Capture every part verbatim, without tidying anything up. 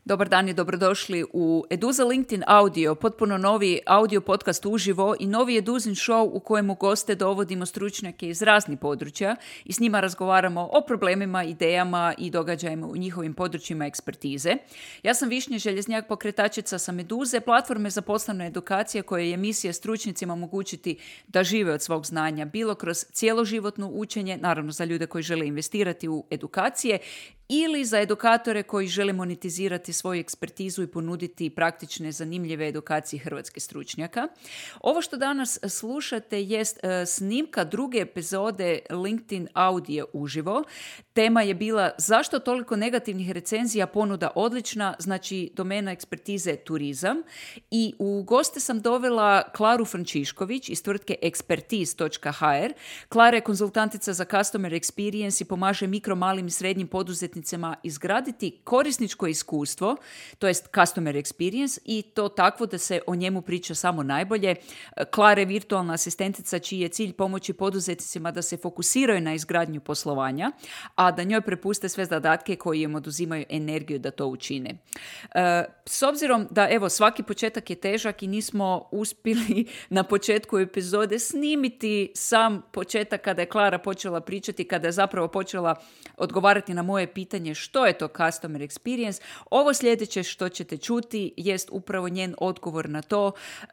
Dobar dan i dobrodošli u Eduza LinkedIn Audio, potpuno novi audio podcast uživo i novi Eduzin show u kojemu goste dovodimo stručnjake iz raznih područja i s njima razgovaramo o problemima, idejama i događajima u njihovim područjima ekspertize. Ja sam Višnja Željeznjak, pokretačica sa Meduze, platforme za poslovne edukacije koje je misija stručnicima omogućiti da žive od svog znanja, bilo kroz cjeloživotno učenje, naravno za ljude koji žele investirati u edukacije, ili za edukatore koji žele monetizirati svoju ekspertizu i ponuditi praktične, zanimljive edukacije hrvatskih stručnjaka. Ovo što danas slušate jest uh, snimka druge epizode LinkedIn Audio uživo. Tema je bila zašto toliko negativnih recenzija, ponuda odlična, znači domena ekspertize turizam. I u goste sam dovela Klaru Frančišković iz tvrtke expertise dot h r. Klara je konzultantica za customer experience i pomaže mikro, malim i srednjim poduzetnicima izgraditi korisničko iskustvo, to jest customer experience, i to takvo da se o njemu priča samo najbolje. Klara je virtualna asistentica čiji je cilj pomoći poduzetnicima da se fokusiraju na izgradnju poslovanja, a da njoj prepuste sve zadatke koji im oduzimaju energiju da to učine. S obzirom da, evo, svaki početak je težak i nismo uspjeli na početku epizode snimiti sam početak kada je Klara počela pričati, kada je zapravo počela odgovarati na moje pitanje pitanje što je to customer experience. Ovo sljedeće što ćete čuti jest upravo njen odgovor na to. Uh,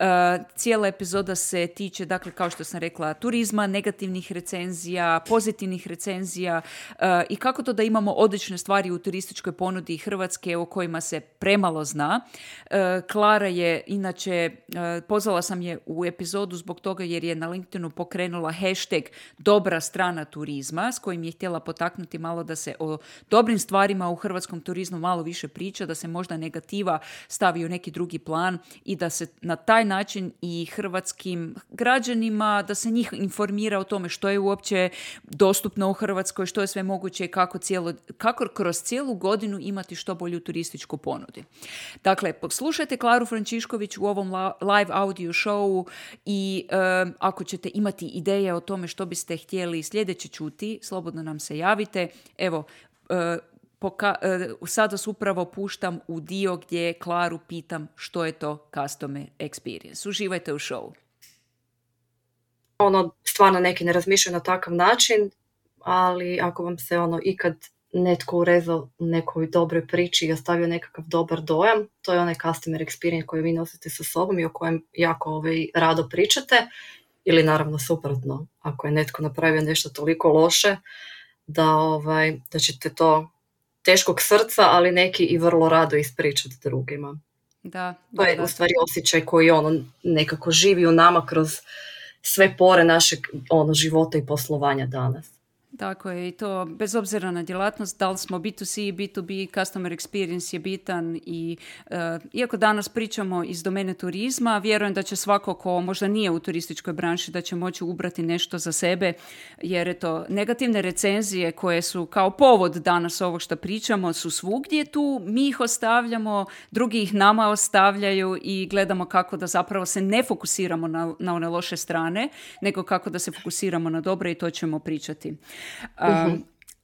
cijela epizoda se tiče, dakle, kao što sam rekla, turizma, negativnih recenzija, pozitivnih recenzija uh, i kako to da imamo odlične stvari u turističkoj ponudi Hrvatske o kojima se premalo zna. Uh, Klara je, inače, uh, pozvala sam je u epizodu zbog toga jer je na LinkedInu pokrenula hashtag dobra strana turizma s kojim je htjela potaknuti malo da se o dobrim stvarima u hrvatskom turizmu malo više priča, da se možda negativa stavi u neki drugi plan i da se na taj način i hrvatskim građanima, da se njih informira o tome što je uopće dostupno u Hrvatskoj, što je sve moguće i kako, cijelo, kako kroz cijelu godinu imati što bolju turističku ponudi. Dakle, poslušajte Klaru Frančišković u ovom live audio showu i um, ako ćete imati ideje o tome što biste htjeli sljedeće čuti, slobodno nam se javite. Evo, Uh, poka- uh, sad vas upravo puštam u dio gdje Klaru pitam što je to customer experience. Uživajte u showu. Ono, stvarno neki ne razmišljaju na takav način, ali ako vam se ono ikad netko urezao u nekoj dobroj priči i ostavio nekakav dobar dojam, to je onaj customer experience koji vi nosite sa sobom i o kojem jako ovaj, rado pričate, ili naravno suprotno, ako je netko napravio nešto toliko loše da, ovaj, da ćete to teškog srca, ali neki i vrlo rado ispričati drugima. Da, to da, je da. u stvari osjećaj koji ono nekako živi u nama kroz sve pore našeg ono, života i poslovanja danas. Tako je, i to bez obzira na djelatnost, da li smo B to C, B to B, customer experience je bitan i uh, iako danas pričamo iz domene turizma, vjerujem da će svako ko možda nije u turističkoj branši da će moći ubrati nešto za sebe, jer eto, negativne recenzije koje su kao povod danas ovog što pričamo su svugdje tu, mi ih ostavljamo, drugi ih nama ostavljaju i gledamo kako da zapravo se ne fokusiramo na, na one loše strane, nego kako da se fokusiramo na dobre i to ćemo pričati. Um, uh-huh.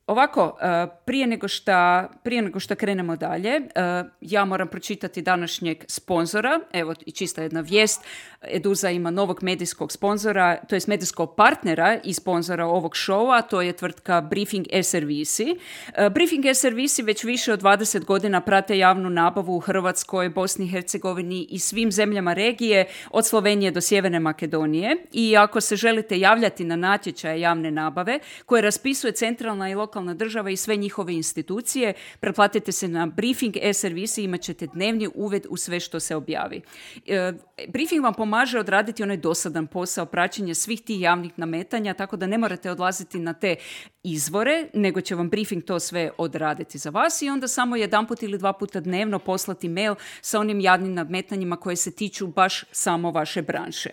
Ovako, uh, prije nego šta, prije nego šta krenemo dalje, uh, ja moram pročitati današnjeg sponzora. Evo, i čista jedna vijest. Eduza ima novog medijskog sponzora, to jest medijskog partnera i sponzora ovog showa, to je tvrtka Briefing e-servisi. Uh, Briefing e-servisi već više od dvadeset godina prate javnu nabavu u Hrvatskoj, Bosni i Hercegovini i svim zemljama regije, od Slovenije do Sjeverne Makedonije. I ako se želite javljati na natječaje javne nabave koje raspisuje centralna i lokalna država i sve njihove institucije, pretplatite se na Briefing e-servisi i imat ćete dnevni uvid u sve što se objavi. E, Briefing vam pomaže odraditi onaj dosadan posao praćenja svih tih javnih nametanja, tako da ne morate odlaziti na te izvore, nego će vam Briefing to sve odraditi za vas i onda samo jedanput ili dva puta dnevno poslati mail sa onim javnim nadmetanjima koje se tiču baš samo vaše branše.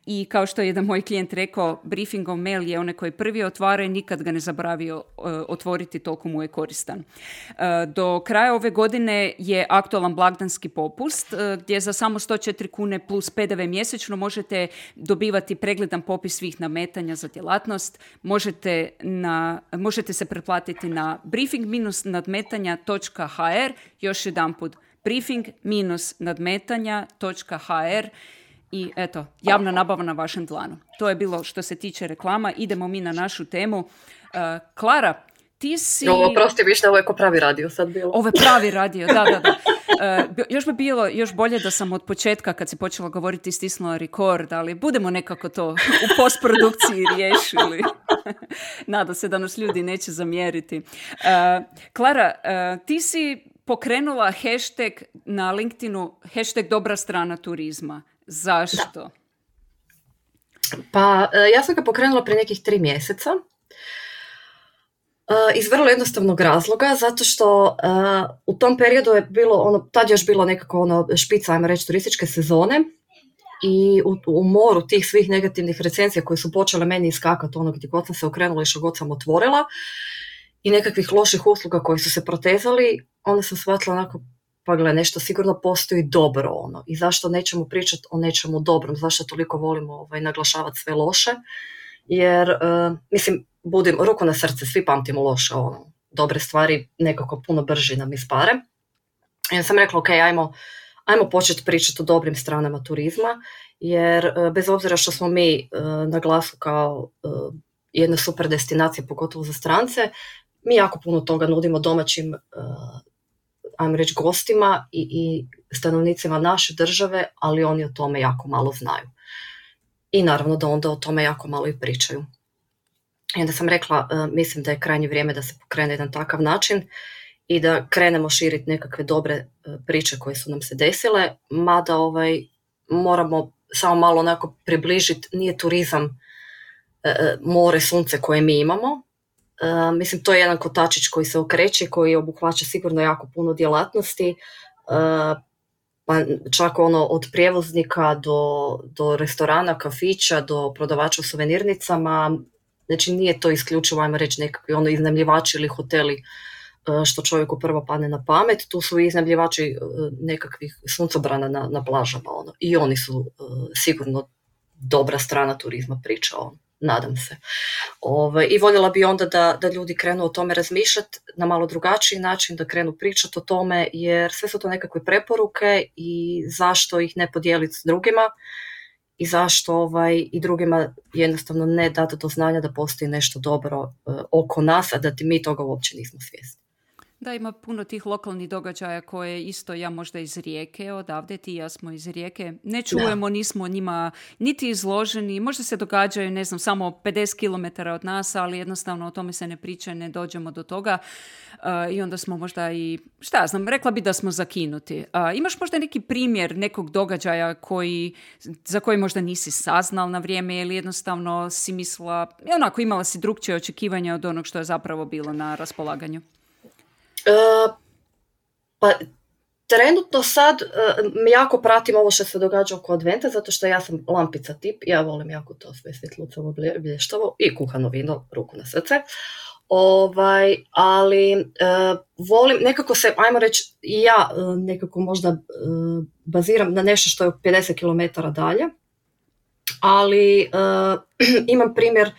I kao što je jedan moj klijent rekao, Briefingov mail je onaj koji prvi otvara i nikad ga ne zabravio uh, otvoriti, toliko mu je koristan. Uh, do kraja ove godine je aktualan blagdanski popust uh, gdje za samo sto četiri kune plus P D V mjesečno možete dobivati pregledan popis svih nametanja za djelatnost. Možete, na, možete se pretplatiti na briefing nadmetanja točka h r, još jedanput briefing nadmetanja točka ha er i eto, javna nabava na vašem dlanu. To je bilo što se tiče reklama. Idemo mi na našu temu. Uh, Klara, ti si... Ovo, prosti, vište, ovo je ko pravi radio sad bilo. Ovo je pravi radio, da, da, da. Uh, još bi bilo još bolje da sam od početka, kad si počela govoriti, stisnula record, ali budemo nekako to u postprodukciji riješili. Nada se da nas ljudi neće zamjeriti. Uh, Klara, uh, ti si pokrenula hashtag na LinkedInu, hashtag dobra strana turizma. Zašto? Da. Pa, ja sam ga pokrenula prije nekih tri mjeseca. Iz vrlo jednostavnog razloga, zato što uh, u tom periodu je bilo, ono, tad je još bilo nekako ono špica, ajmo reći, turističke sezone i u, u moru tih svih negativnih recenzija koje su počele meni iskakati ono gdje god sam se okrenula i što god sam otvorila i nekakvih loših usluga koji su se protezali, onda sam shvatila onako, pa gle, nešto sigurno postoji dobro ono i zašto nećemo pričati o nečemu dobrom, zašto toliko volimo ovaj, naglašavati sve loše, jer uh, mislim, budim ruku na srce, svi pamtimo loše, ono, dobre stvari nekako puno brže nam ispare. I ja sam rekla, ok, ajmo, ajmo početi pričati o dobrim stranama turizma, jer bez obzira što smo mi uh, na glasu kao uh, jedna super destinacija, pogotovo za strance, mi jako puno toga nudimo domaćim, uh, ajmo reći, gostima i, i stanovnicima naše države, ali oni o tome jako malo znaju. I naravno da onda o tome jako malo i pričaju. I onda sam rekla, uh, mislim da je krajnje vrijeme da se pokrene jedan takav način i da krenemo širiti nekakve dobre uh, priče koje su nam se desile, mada ovaj, moramo samo malo onako približiti, nije turizam uh, more, sunce koje mi imamo. Uh, mislim, to je jedan kotačić koji se okreće, koji obuhvaća sigurno jako puno djelatnosti, uh, pa čak ono od prijevoznika do, do restorana, kafića, do prodavača u suvenirnicama. Znači nije to isključivo, ajmo reći, nekakvi ono iznajmljivači ili hoteli što čovjeku prvo padne na pamet. Tu su i iznajmljivači nekakvih suncobrana na, na plažama. Ono. I oni su uh, sigurno dobra strana turizma, priča, ono. Nadam se. Ove, I voljela bi onda da, da ljudi krenu o tome razmišljati na malo drugačiji način, da krenu pričati o tome, jer sve su to nekakve preporuke i zašto ih ne podijeliti s drugima i zašto ovaj, i drugima jednostavno ne dati do znanja da postoji nešto dobro uh, oko nas, a da ti mi toga uopće nismo svjesni. Da, ima puno tih lokalnih događaja koje isto, ja možda iz Rijeke, odavde ti i ja smo iz Rijeke, ne čujemo, da. Nismo njima niti izloženi, možda se događaju, ne znam, samo pedeset kilometara od nas, ali jednostavno o tome se ne priča, ne dođemo do toga uh, i onda smo možda i, šta ja znam, rekla bi da smo zakinuti. Uh, imaš možda neki primjer nekog događaja koji, za koji možda nisi saznal na vrijeme ili jednostavno si mislila, onako imala si drukčije očekivanja od onog što je zapravo bilo na raspolaganju? Uh, pa trenutno sad uh, jako pratim ovo što se događa oko adventa, zato što ja sam lampica tip, ja volim jako to sve svjetlucavo, blještavo i kuhano vino, ruku na srce. Ovaj, ali uh, volim, nekako se, ajmo reći, ja uh, nekako možda uh, baziram na nešto što je pedeset kilometara dalje, ali uh, imam primjer.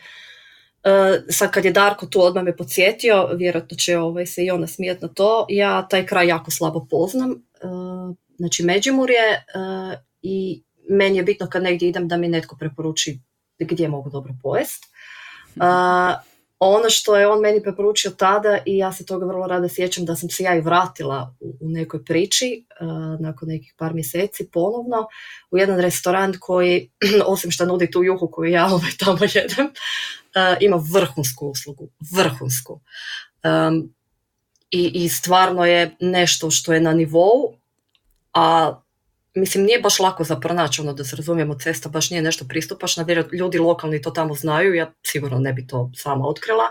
Uh, sad kad je Darko tu odmah me podsjetio, vjerojatno će ovaj, se i ona smijeti na to, ja taj kraj jako slabo poznam, uh, znači Međimurje uh, i meni je bitno kad negdje idem da mi netko preporuči gdje mogu dobro pojest. Uh, ono što je on meni preporučio tada i ja se toga vrlo rado sjećam da sam se ja i vratila u, u nekoj priči uh, nakon nekih par mjeseci ponovno u jedan restoran koji, osim što nudi tu juhu koju ja ovaj, tamo jedem, uh, ima vrhunsku uslugu, vrhunsku. Um, i, i stvarno je nešto što je na nivou, a mislim nije baš lako za pronaći, ono da se razumijemo, cesta baš nije nešto pristupačna, ljudi lokalni to tamo znaju, ja sigurno ne bi to sama otkrila,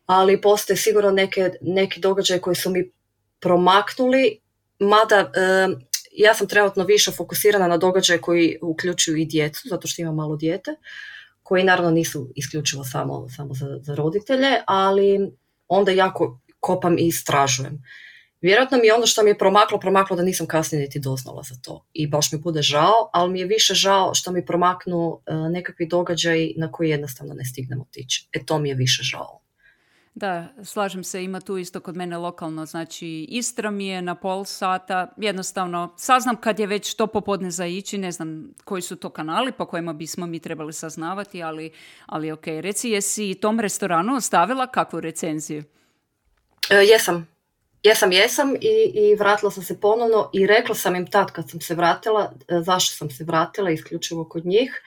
ali postoje sigurno neke, neki događaje koji su mi promaknuli, mada e, ja sam trenutno više fokusirana na događaje koji uključuju i djecu, zato što imam malo dijete, koji naravno nisu isključivo samo, samo za, za roditelje, ali onda jako kopam i istražujem. Vjerojatno mi je ono što mi je promaklo, promaklo da nisam kasnije niti doznala za to. I baš mi bude žao, ali mi je više žao što mi promaknu uh, nekakvi događaji na koji jednostavno ne stignem otići. E to mi je više žao. Da, slažem se, ima tu isto kod mene lokalno, znači Istra mi je na pol sata, jednostavno saznam kad je već to popodne za ići, ne znam koji su to kanali po kojima bismo mi trebali saznavati, ali, ali ok. Reci, jesi tom restoranu ostavila kakvu recenziju? E, jesam. Jesam, jesam i, i vratila sam se ponovno i rekla sam im tad kad sam se vratila, zašto sam se vratila, isključivo kod njih,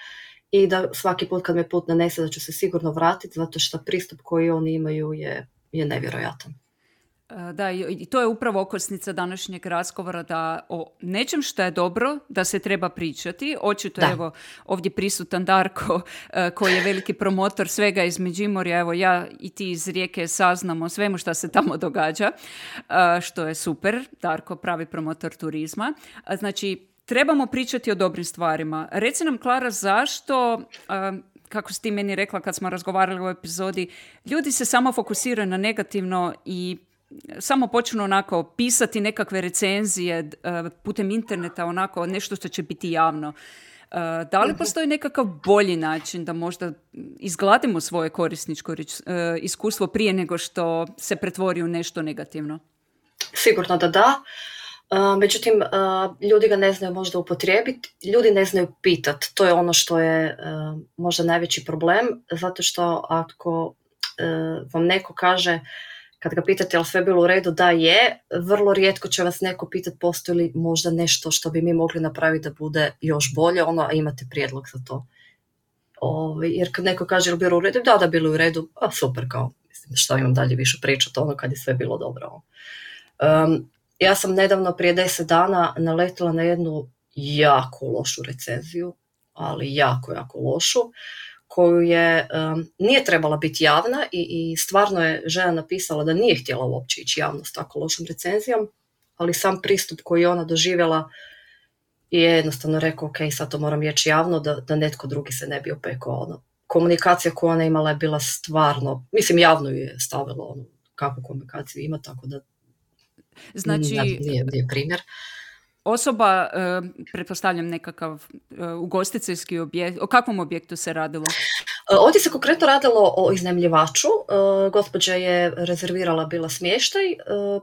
i da svaki put kad me put nanese da ću se sigurno vratiti, zato što pristup koji oni imaju je, je nevjerojatan. Da, i to je upravo okosnica današnjeg razgovora, da o nečem što je dobro, da se treba pričati. Očito je evo ovdje prisutan Darko, koji je veliki promotor svega iz Međimurja. Evo ja i ti iz Rijeke saznamo svemu što se tamo događa, što je super. Darko, pravi promotor turizma. Znači, trebamo pričati o dobrim stvarima. Reci nam, Klara, zašto... kako si ti meni rekla kad smo razgovarali u epizodi, ljudi se samo fokusiraju na negativno i samo počnu onako pisati nekakve recenzije uh, putem interneta, onako nešto što će biti javno. Uh, da li postoji nekakav bolji način da možda izgladimo svoje korisničko uh, iskustvo prije nego što se pretvori u nešto negativno? Sigurno da da. Uh, međutim, uh, ljudi ga ne znaju možda upotrijebiti, ljudi ne znaju pitati. To je ono što je uh, možda najveći problem, zato što ako uh, vam neko kaže, kad ga pitate je li sve bilo u redu, da je, vrlo rijetko će vas neko pitati postoji li možda nešto što bi mi mogli napraviti da bude još bolje, ono, a imate prijedlog za to. Ove, jer kad neko kaže je li bilo u redu, da, da bilo u redu, a super, kao, mislim, što imam dalje više pričati, ono kad je sve bilo dobro. Um, ja sam nedavno prije deset dana naletila na jednu jako lošu recenziju, ali jako, jako lošu, koju je, um, nije trebala biti javna i, i stvarno je žena napisala da nije htjela uopće ići javno s tako lošom recenzijom, ali sam pristup koji je ona doživjela je jednostavno rekao, ok, sad to moram reći javno da, da netko drugi se ne bi opekao. Ono. Komunikacija koju ona imala je bila stvarno, mislim javno ju je stavilo ono, kakvu komunikaciju ima, tako da znači, nije, nije primjer. Osoba, uh, pretpostavljam nekakav uh, ugostiteljski objekt, o kakvom objektu se radilo? Ovdje se konkretno radilo o iznajmljivaču. Uh, gospođa je rezervirala bila smještaj uh,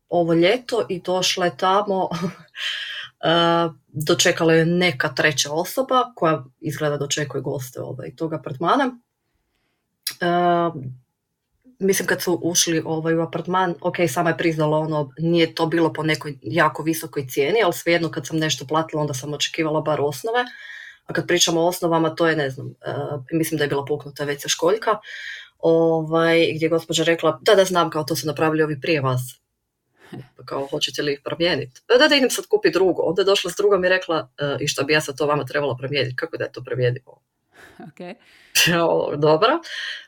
ovo ljeto i došla je tamo, uh, dočekala je neka treća osoba koja izgleda dočekuje goste ovaj, tog apartmana. Uh, Mislim kad su ušli ovaj, u apartman, ok, sama je priznala ono, nije to bilo po nekoj jako visokoj cijeni, ali svejedno kad sam nešto platila, onda sam očekivala bar osnove. A kad pričamo o osnovama, to je, ne znam, uh, mislim da je bila puknuta ve ce školjka, ovaj, gdje je gospođa rekla, da, da znam, kao to su napravili ovi prije vas. Kao, hoćete li ih promijeniti? Da, da idem sad kupiti drugo. Onda je došla s drugom i rekla, uh, i što bi ja sad to vama trebala promijeniti? Kako da je to promijenimo? Okay. Dobro,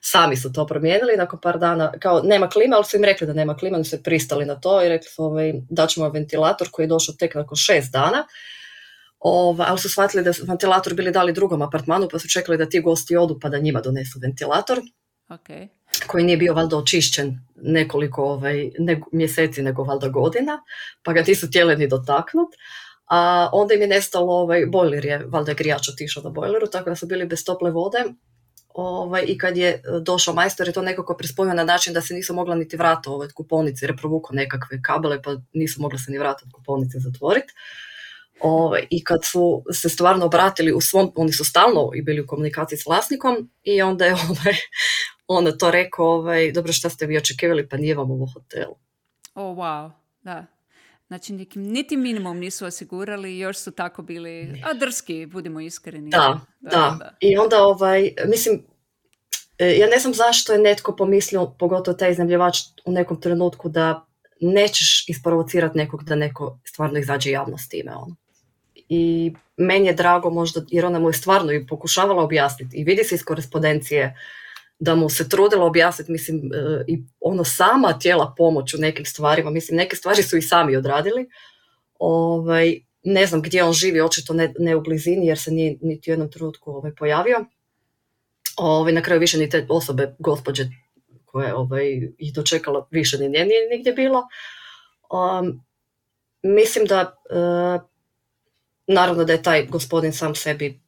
sami su to promijenili nakon par dana, kao nema klima, ali su im rekli da nema klima, oni su pristali na to i rekli su ovaj, da ćemo ventilator koji je došao tek nakon šest dana, ovaj, ali su shvatili da su ventilator bili dali drugom apartmanu pa su čekali da ti gosti odu pa da njima donesu ventilator, okay. koji nije bio valjda očišćen nekoliko ovaj, ne, mjeseci nego valjda godina, pa ga nisu htjeli ni dotaknuti. A onda im je nestalo, ovaj, bojler je, valjda grijač otišao na bojleru, tako da su bili bez tople vode. Ovaj, I kad je došao majstor je to nekako prispojio na način da se nisu mogla niti vrata ovaj, od kupovnice, jer je provukao nekakve kabele pa nisu mogla se ni vrata od kupovnice zatvoriti. Ovaj, I kad su se stvarno obratili u svom, oni su stalno i bili u komunikaciji s vlasnikom i onda je ovaj, onda to rekao, ovaj, dobro šta ste vi očekivali, pa nije vam u hotelu. Oh, wow, da. Znači, nekim, niti minimum nisu osigurali, još su tako bili, a drski, budimo iskreni. Da, da, da. da. I onda, ovaj, mislim, ja ne znam zašto je netko pomislio, pogotovo taj iznajmljivač u nekom trenutku, da nećeš isprovocirati nekog da neko stvarno izađe javno s time. Ono. I meni je drago možda, jer ona mu je stvarno i pokušavala objasniti. I vidi se iz korespondencije da mu se trudila objasniti, mislim, i ono sama tijela pomoć u nekim stvarima, mislim, neke stvari su i sami odradili. Ovaj, ne znam gdje on živi, očito ne, ne u blizini, jer se nije niti u jednom trenutku ovaj, pojavio. Ovaj, na kraju više ni te osobe, gospođe koje ovaj, ih dočekala, više ni nije nigdje bilo. Um, mislim da, uh, naravno da je taj gospodin sam sebi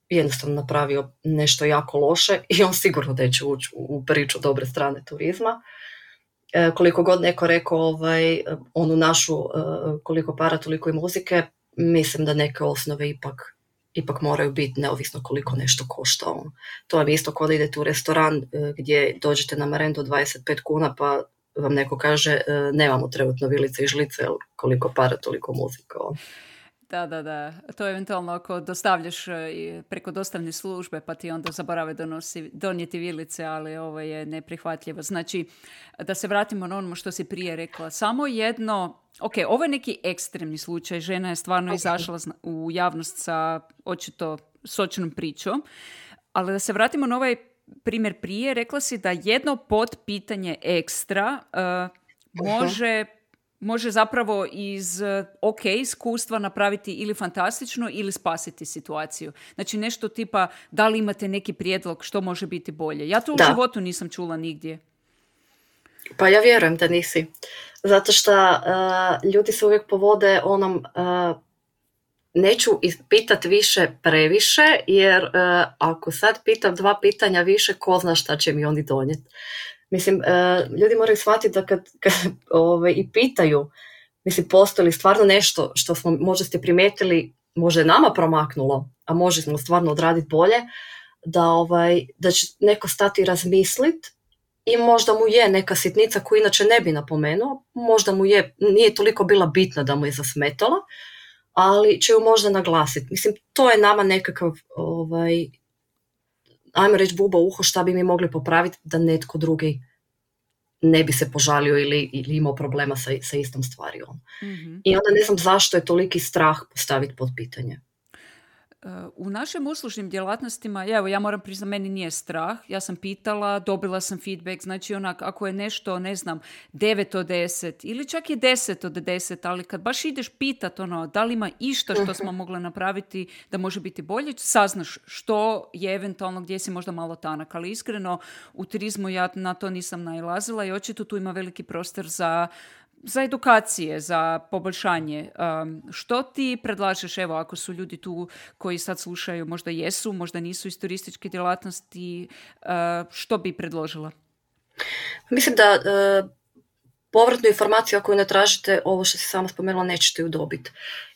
jednostavno napravio nešto jako loše i on sigurno neće ući u priču dobre strane turizma. E, koliko god neko rekao ovaj, onu našu e, koliko para, toliko i muzike, mislim da neke osnove ipak, ipak moraju biti neovisno koliko nešto košta. On. To je isto kao da idete u restoran e, gdje dođete na marendu dvadeset pet kuna pa vam neko kaže e, nemamo trenutno vilice i žlice, ali koliko para, toliko muzika. On. Da, da, da. To je eventualno ako dostavljaš preko dostavne službe pa ti onda zaborave donosi, donijeti vilice, ali ovo je neprihvatljivo. Znači, da se vratimo na ono što si prije rekla. Samo jedno, ok, ovo je neki ekstremni slučaj. Žena je stvarno okay. izašla u javnost sa očito sočnom pričom. Ali da se vratimo na ovaj primjer prije, rekla si da jedno podpitanje ekstra uh, može... može zapravo iz ok iskustva napraviti ili fantastično ili spasiti situaciju. Znači nešto tipa da li imate neki prijedlog što može biti bolje. Ja to u da. životu nisam čula nigdje. Pa ja vjerujem da nisi. Zato što uh, ljudi se uvijek povode onom uh, neću pitati više previše jer uh, ako sad pitam dva pitanja više, ko zna šta će mi oni donijeti. Mislim, uh, ljudi moraju shvatiti da kad, kad ove, i pitaju, mislim, postoji li stvarno nešto što smo, možda ste primijetili, možda je nama promaknulo, a može smo stvarno odraditi bolje, da, ovaj, da će neko stati i razmisliti i možda mu je neka sitnica koju inače ne bi napomenuo, možda mu je, nije toliko bila bitna da mu je zasmetala, ali će ju možda naglasiti. Mislim, to je nama nekakav... Ovaj, ajmo reći buba uho šta bi mi mogli popraviti da netko drugi ne bi se požalio ili, ili imao problema sa, sa istom stvari. Mm-hmm. I onda ne znam zašto je toliki strah postaviti pod pitanje. U našim uslužnim djelatnostima, evo ja moram priznati, meni nije strah, ja sam pitala, dobila sam feedback, znači onak, ako je nešto, ne znam, devet od deset ili čak i deset od deset, ali kad baš ideš pitat ono, da li ima išta što smo mogli napraviti da može biti bolje, saznaš što je eventualno, gdje si možda malo tanak, ali iskreno u turizmu ja na to nisam nailazila i očito tu ima veliki prostor za za edukacije, za poboljšanje. Um, što ti predlažeš, evo, ako su ljudi tu koji sad slušaju, možda jesu, možda nisu iz turističke djelatnosti, uh, što bi predložila? Mislim da uh, povratnu informaciju koju ne tražite, ovo što si sama spomenula, nećete ju dobiti.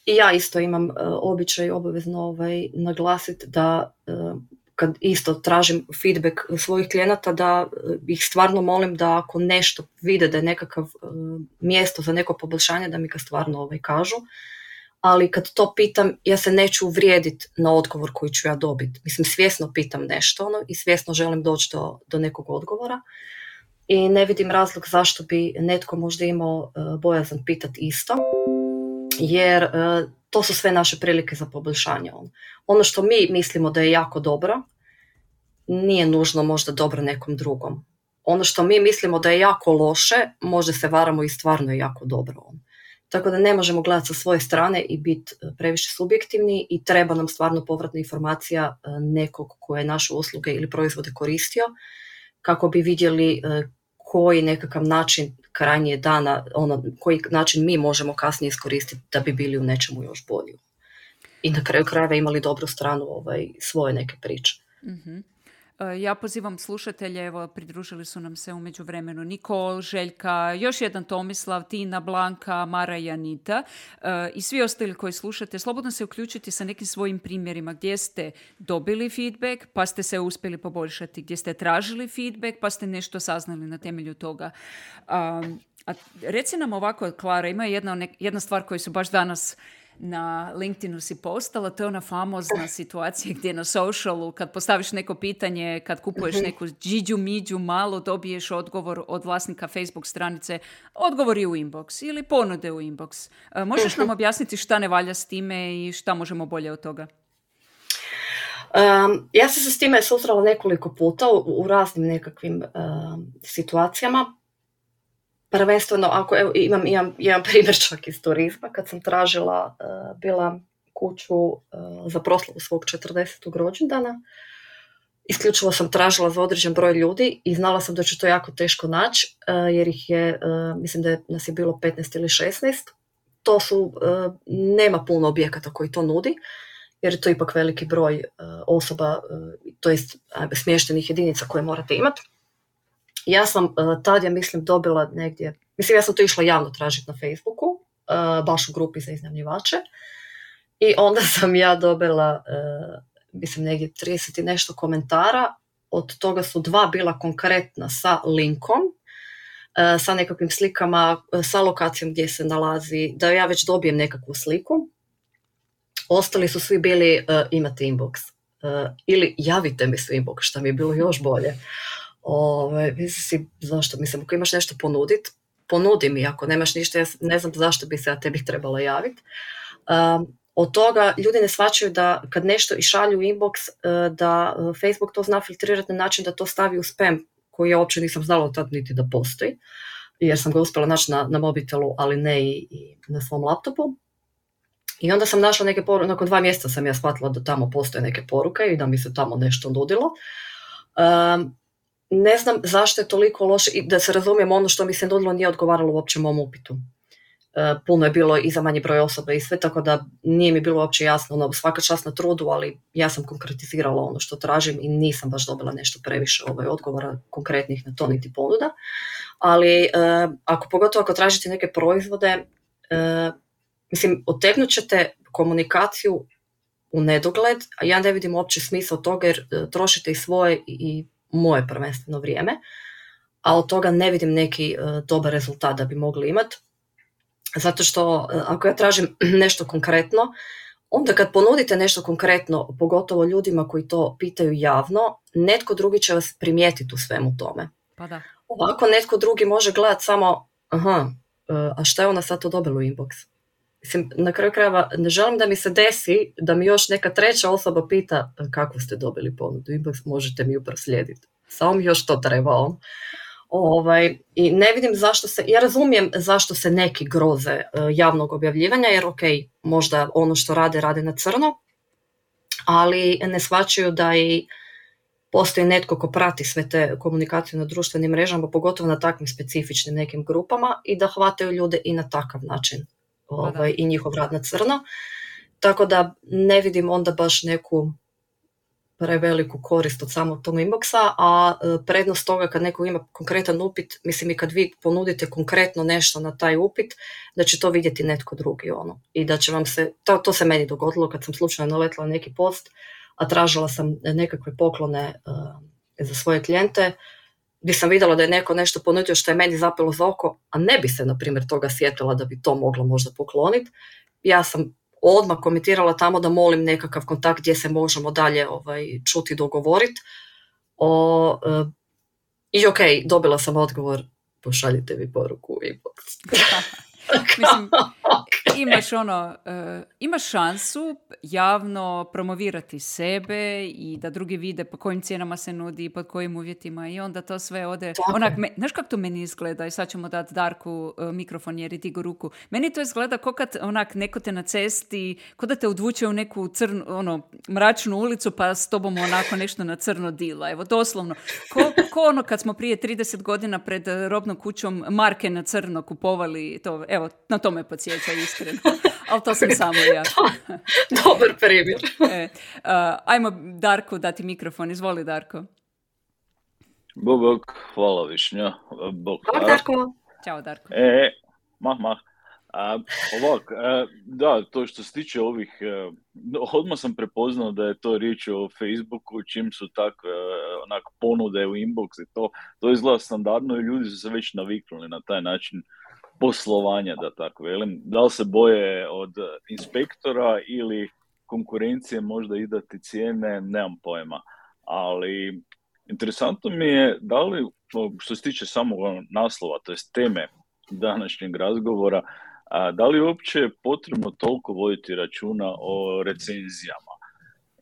I ja isto imam uh, običaj obavezno ovaj, naglasiti da uh, kad isto tražim feedback svojih klijenata, da ih stvarno molim da ako nešto vide da je nekakav uh, mjesto za neko poboljšanje, da mi ga stvarno ovaj, kažu. Ali kad to pitam, ja se neću uvrijediti na odgovor koji ću ja dobiti. Mislim, svjesno pitam nešto ono, i svjesno želim doći do, do nekog odgovora. I ne vidim razlog zašto bi netko možda imao uh, bojazan pitati isto. Jer uh, to su sve naše prilike za poboljšanje. Ono. ono što mi mislimo da je jako dobro, nije nužno možda dobro nekom drugom. Ono što mi mislimo da je jako loše, možda se varamo i stvarno je jako dobro. Ono. Tako da ne možemo gledati sa svoje strane i biti previše subjektivni i treba nam stvarno povratna informacija nekog ko je naše usluge ili proizvode koristio, kako bi vidjeli koji nekakav način krajnje dana, ono, koji način mi možemo kasnije iskoristiti da bi bili u nečemu još bolji. I na kraju krajeva imali dobru stranu ovaj, svoje neke priče. Mm-hmm. Ja pozivam slušatelje, evo pridružili su nam se u međuvremenu Nikol, Željka, još jedan Tomislav, Tina, Blanka, Mara i Anita uh, i svi ostali koji slušate, slobodno se uključiti sa nekim svojim primjerima gdje ste dobili feedback pa ste se uspjeli poboljšati, gdje ste tražili feedback pa ste nešto saznali na temelju toga. Um, a reci nam ovako, Klara, ima jedna, jedna stvar koju su baš danas na LinkedInu si postala, to je ona famozna situacija gdje na socialu kad postaviš neko pitanje, kad kupuješ neku džiđu miđu malo, dobiješ odgovor od vlasnika Facebook stranice, odgovor je u inbox ili ponude u inbox. Možeš nam objasniti šta ne valja s time i šta možemo bolje od toga? Um, ja sam se s time susrela nekoliko puta u, u raznim nekakvim um, situacijama. Prvenstveno, ako evo, imam, imam jedan primjer čak iz turizma, kad sam tražila, uh, bila kuću uh, za proslavu svog četrdesetog rođendana, isključivo sam tražila za određen broj ljudi i znala sam da ću to jako teško naći, uh, jer ih je, uh, mislim da je, nas je bilo petnaest ili šesnaest. To su, uh, nema puno objekata koji to nudi jer je to ipak veliki broj uh, osoba, uh, to jest uh, smještenih jedinica koje morate imati. Ja sam uh, tad, ja mislim, dobila negdje, mislim, ja sam to išla javno tražiti na Facebooku, uh, baš u grupi za iznajmljivače, i onda sam ja dobila, uh, mislim, negdje trideset i nešto komentara, od toga su dva bila konkretna sa linkom, uh, sa nekakvim slikama, uh, sa lokacijom gdje se nalazi, da ja već dobijem nekakvu sliku. Ostali su svi bili uh, imate inbox uh, ili javite mi se inbox, što mi je bilo još bolje. Ove, mislim, zašto? Mislim, ako imaš nešto ponuditi, ponudi mi. Ako nemaš ništa, ja ne znam zašto bi se ja tebi trebala javiti. Um, od toga ljudi ne shvaćaju da kad nešto i šalju u inbox, uh, da Facebook to zna filtrirati na način da to stavi u spam, koji ja uopće nisam znala tad niti da postoji, jer sam ga uspjela naći na, na mobitelu, ali ne i, i na svom laptopu. I onda sam našla neke poruke, nakon dva mjeseca sam ja shvatila da tamo postoje neke poruke i da mi se tamo nešto nudilo. Um, ne znam zašto je toliko loše, i da se razumijem, ono što mi se nudilo nije odgovaralo uopće mom upitu. Uh, puno je bilo i za manji broj osoba i sve, tako da nije mi bilo uopće jasno, ono, svaka čast na trudu, ali ja sam konkretizirala ono što tražim i nisam baš dobila nešto previše ovaj, odgovora konkretnih na to niti ponuda. Ali uh, ako pogotovo ako tražite neke proizvode, uh, mislim, otegnut ćete komunikaciju u nedogled, a ja ne vidim uopće smisao toga jer uh, trošite i svoje i moje prvenstveno vrijeme, a od toga ne vidim neki uh, dobar rezultat da bi mogli imati. Zato što uh, ako ja tražim nešto konkretno, onda kad ponudite nešto konkretno, pogotovo ljudima koji to pitaju javno, netko drugi će vas primijetiti u svemu tome. Pa da. Ovako netko drugi može gledati samo, aha, uh, a šta je ona sad to dobila u inbox? Mislim, na kraju krajeva ne želim da mi se desi da mi još neka treća osoba pita kako ste dobili ponudu inbox, možete mi ju proslijediti. Samo mi još to treba. Ovaj, i ne vidim zašto se, ja razumijem zašto se neki groze uh, javnog objavljivanja, jer ok, možda ono što rade, rade na crno, ali ne shvaćaju da i postoji netko ko prati sve te komunikacije na društvenim mrežama, pogotovo na takvim specifičnim nekim grupama, i da hvataju ljude i na takav način. Ovaj, i njihov rad na crno, tako da ne vidim onda baš neku preveliku korist od samog tog inboxa, a prednost toga kad neko ima konkretan upit, mislim i kad vi ponudite konkretno nešto na taj upit, da će to vidjeti netko drugi, ono, i da će vam se, to, to se meni dogodilo kad sam slučajno naletila neki post, a tražila sam nekakve poklone uh, za svoje klijente, gdje sam vidjela da je neko nešto ponudio što je meni zapelo za oko, a ne bi se, na primjer, toga sjetila da bi to mogla možda pokloniti. Ja sam odmah komentirala tamo da molim nekakav kontakt gdje se možemo dalje ovaj, čuti, dogovoriti. O, uh, I ok, dobila sam odgovor, pošaljite mi poruku u inbox. Mislim, imaš ono, uh, imaš šansu javno promovirati sebe i da drugi vide po kojim cijenama se nudi i pod kojim uvjetima, i onda to sve ode. Onak, me, znaš kako to meni izgleda? I sad ćemo dati Darku uh, mikrofon jer je digu ruku. Meni to izgleda kao kad onak neko te na cesti, ko da te odvuče u neku crnu, ono, mračnu ulicu pa s tobom onako nešto na crno dila. Evo, doslovno. Ko, ko ono kad smo prije trideset godina pred robnom kućom marke na crno kupovali to. Evo, na to me podsjeća iskreno, ali to sam samo ja. Dobar primjer. e, uh, ajmo Darku dati mikrofon, izvoli Darko. Bog, bog, hvala Višnja. Bog, Bog Darko. Ćao Darko. E, mah, mah. A, ovak, a, da, to što se tiče ovih, a, odmah sam prepoznao da je to riječ o Facebooku, čim su takve onak ponude u inbox i to, to izgleda standardno i ljudi su se već naviknuli na taj način poslovanja, da tako velim. Da li se boje od inspektora ili konkurencije možda i dati cijene, nemam pojma. Ali interesantno mi je da li, što se tiče samog naslova, to jest teme današnjeg razgovora, a, da li je uopće potrebno toliko voditi računa o recenzijama?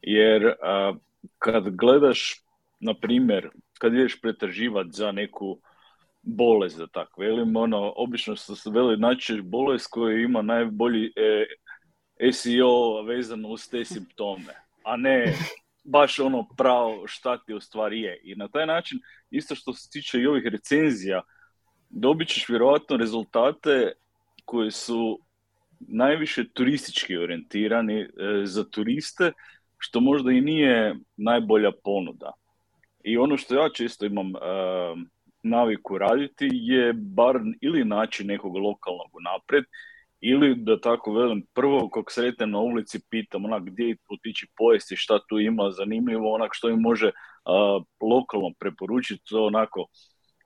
Jer a, kad gledaš, na primjer, kad ideš pretraživati za neku bolest, da tako velim, ono, obično se veli naći bolest koja ima najbolji e, S E O vezano uz te simptome, a ne baš ono pravo šta ti u stvari je. I na taj način, isto što se tiče i ovih recenzija, dobit ćeš vjerojatno rezultate koji su najviše turistički orijentirani e, za turiste, što možda i nije najbolja ponuda. I ono što ja često imam e, naviku raditi je bar ili naći nekog lokalnog unaprijed, ili da tako velim, prvo kog sretnem na ulici pitam onak gdje otići pojesti, šta tu ima zanimljivo, onak što im može uh, lokalno preporučiti, to onako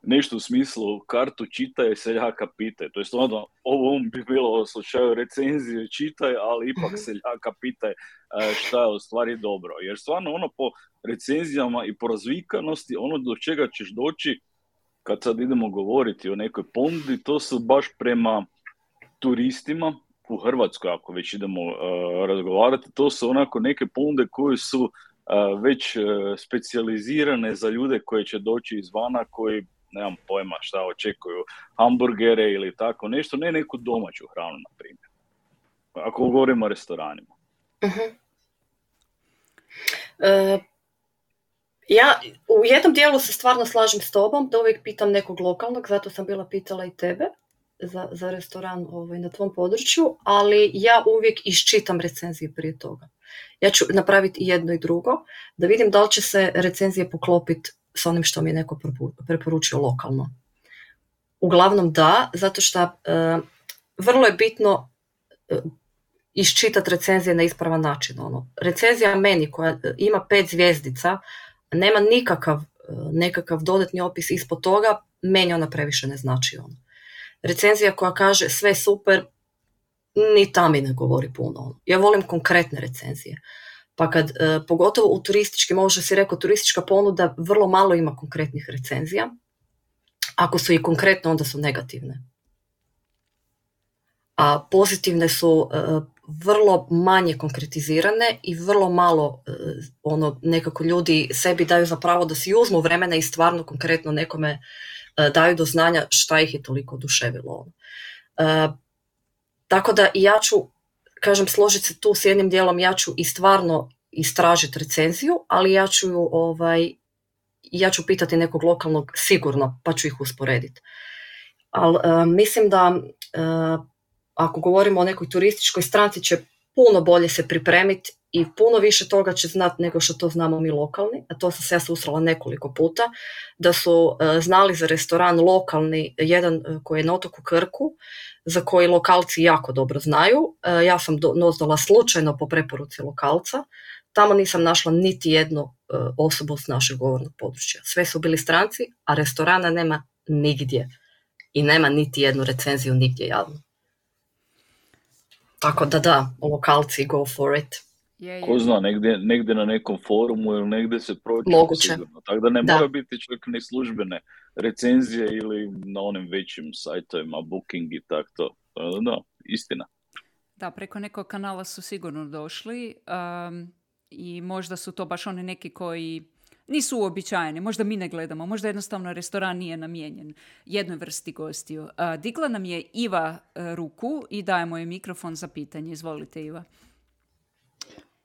nešto u smislu kartu čitaj, seljaka pitaj. To je stvarno, ovo bi bilo u slučaju recenzije čitaj, ali ipak seljaka pitaj uh, šta je u stvari dobro. Jer stvarno ono po recenzijama i po razvikanosti, ono do čega ćeš doći kad sad idemo govoriti o nekoj ponudi, to su baš prema turistima u Hrvatskoj, ako već idemo uh, razgovarati, to su onako neke ponude koje su uh, već uh, specijalizirane za ljude koji će doći izvana, koji, nemam pojma šta očekuju, hamburgere ili tako nešto, ne neku domaću hranu, na primjer. Ako govorimo o restoranima. Uh-huh. Uh, ja u jednom dijelu se stvarno slažem s tobom, da uvijek pitam nekog lokalnog, zato sam bila pitala i tebe za, za restoran ovaj, na tvom području, ali ja uvijek iščitam recenzije prije toga. Ja ću napraviti i jedno i drugo, da vidim da li će se recenzije poklopiti s onim što mi je neko preporučio lokalno. Uglavnom da, zato što uh, vrlo je bitno uh, iščitati recenzije na ispravan način. Ono. Recenzija meni koja ima pet zvjezdica, nema nikakav uh, nekakav dodatni opis ispod toga, meni ona previše ne znači ono. Recenzija koja kaže sve super, ni ta mi ne govori puno. Ja volim konkretne recenzije. Pa kad, e, pogotovo u turističkim, ovo što si rekao, turistička ponuda vrlo malo ima konkretnih recenzija. Ako su i konkretne, onda su negativne. A pozitivne su e, vrlo manje konkretizirane i vrlo malo e, ono, nekako ljudi sebi daju za pravo da si uzmu vremena i stvarno konkretno nekome daju do znanja šta ih je toliko oduševilo. E, tako da i ja ću, kažem, složiti se tu s jednim dijelom, ja ću i stvarno istražiti recenziju, ali ja ću, ovaj, ja ću pitati nekog lokalnog sigurno, pa ću ih usporediti. Ali e, mislim da e, ako govorimo o nekoj turističkoj stranci, će puno bolje se pripremiti i puno više toga će znati nego što to znamo mi lokalni, a to sam se ja susrela nekoliko puta, da su uh, znali za restoran lokalni, jedan uh, koji je na otoku Krku, za koji lokalci jako dobro znaju. Uh, ja sam do, doznala slučajno po preporuci lokalca, tamo nisam našla niti jednu uh, osobu s našeg govornog područja. Sve su bili stranci, a restorana nema nigdje i nema niti jednu recenziju nigdje javno. Tako da da, lokalci go for it. Je, je. Ko zna, negdje, negdje na nekom forumu ili negdje se proći. Moguće. Tako da ne da. mora biti čak ni službene recenzije ili na onim većim sajtovima, Booking i tako to. Da, istina. Da, preko nekog kanala su sigurno došli um, i možda su to baš oni neki koji nisu uobičajeni, možda mi ne gledamo, možda jednostavno restoran nije namijenjen jednoj vrsti gostiju. Uh, digla nam je Iva uh, ruku i dajemo joj mikrofon za pitanje. Izvolite, Iva.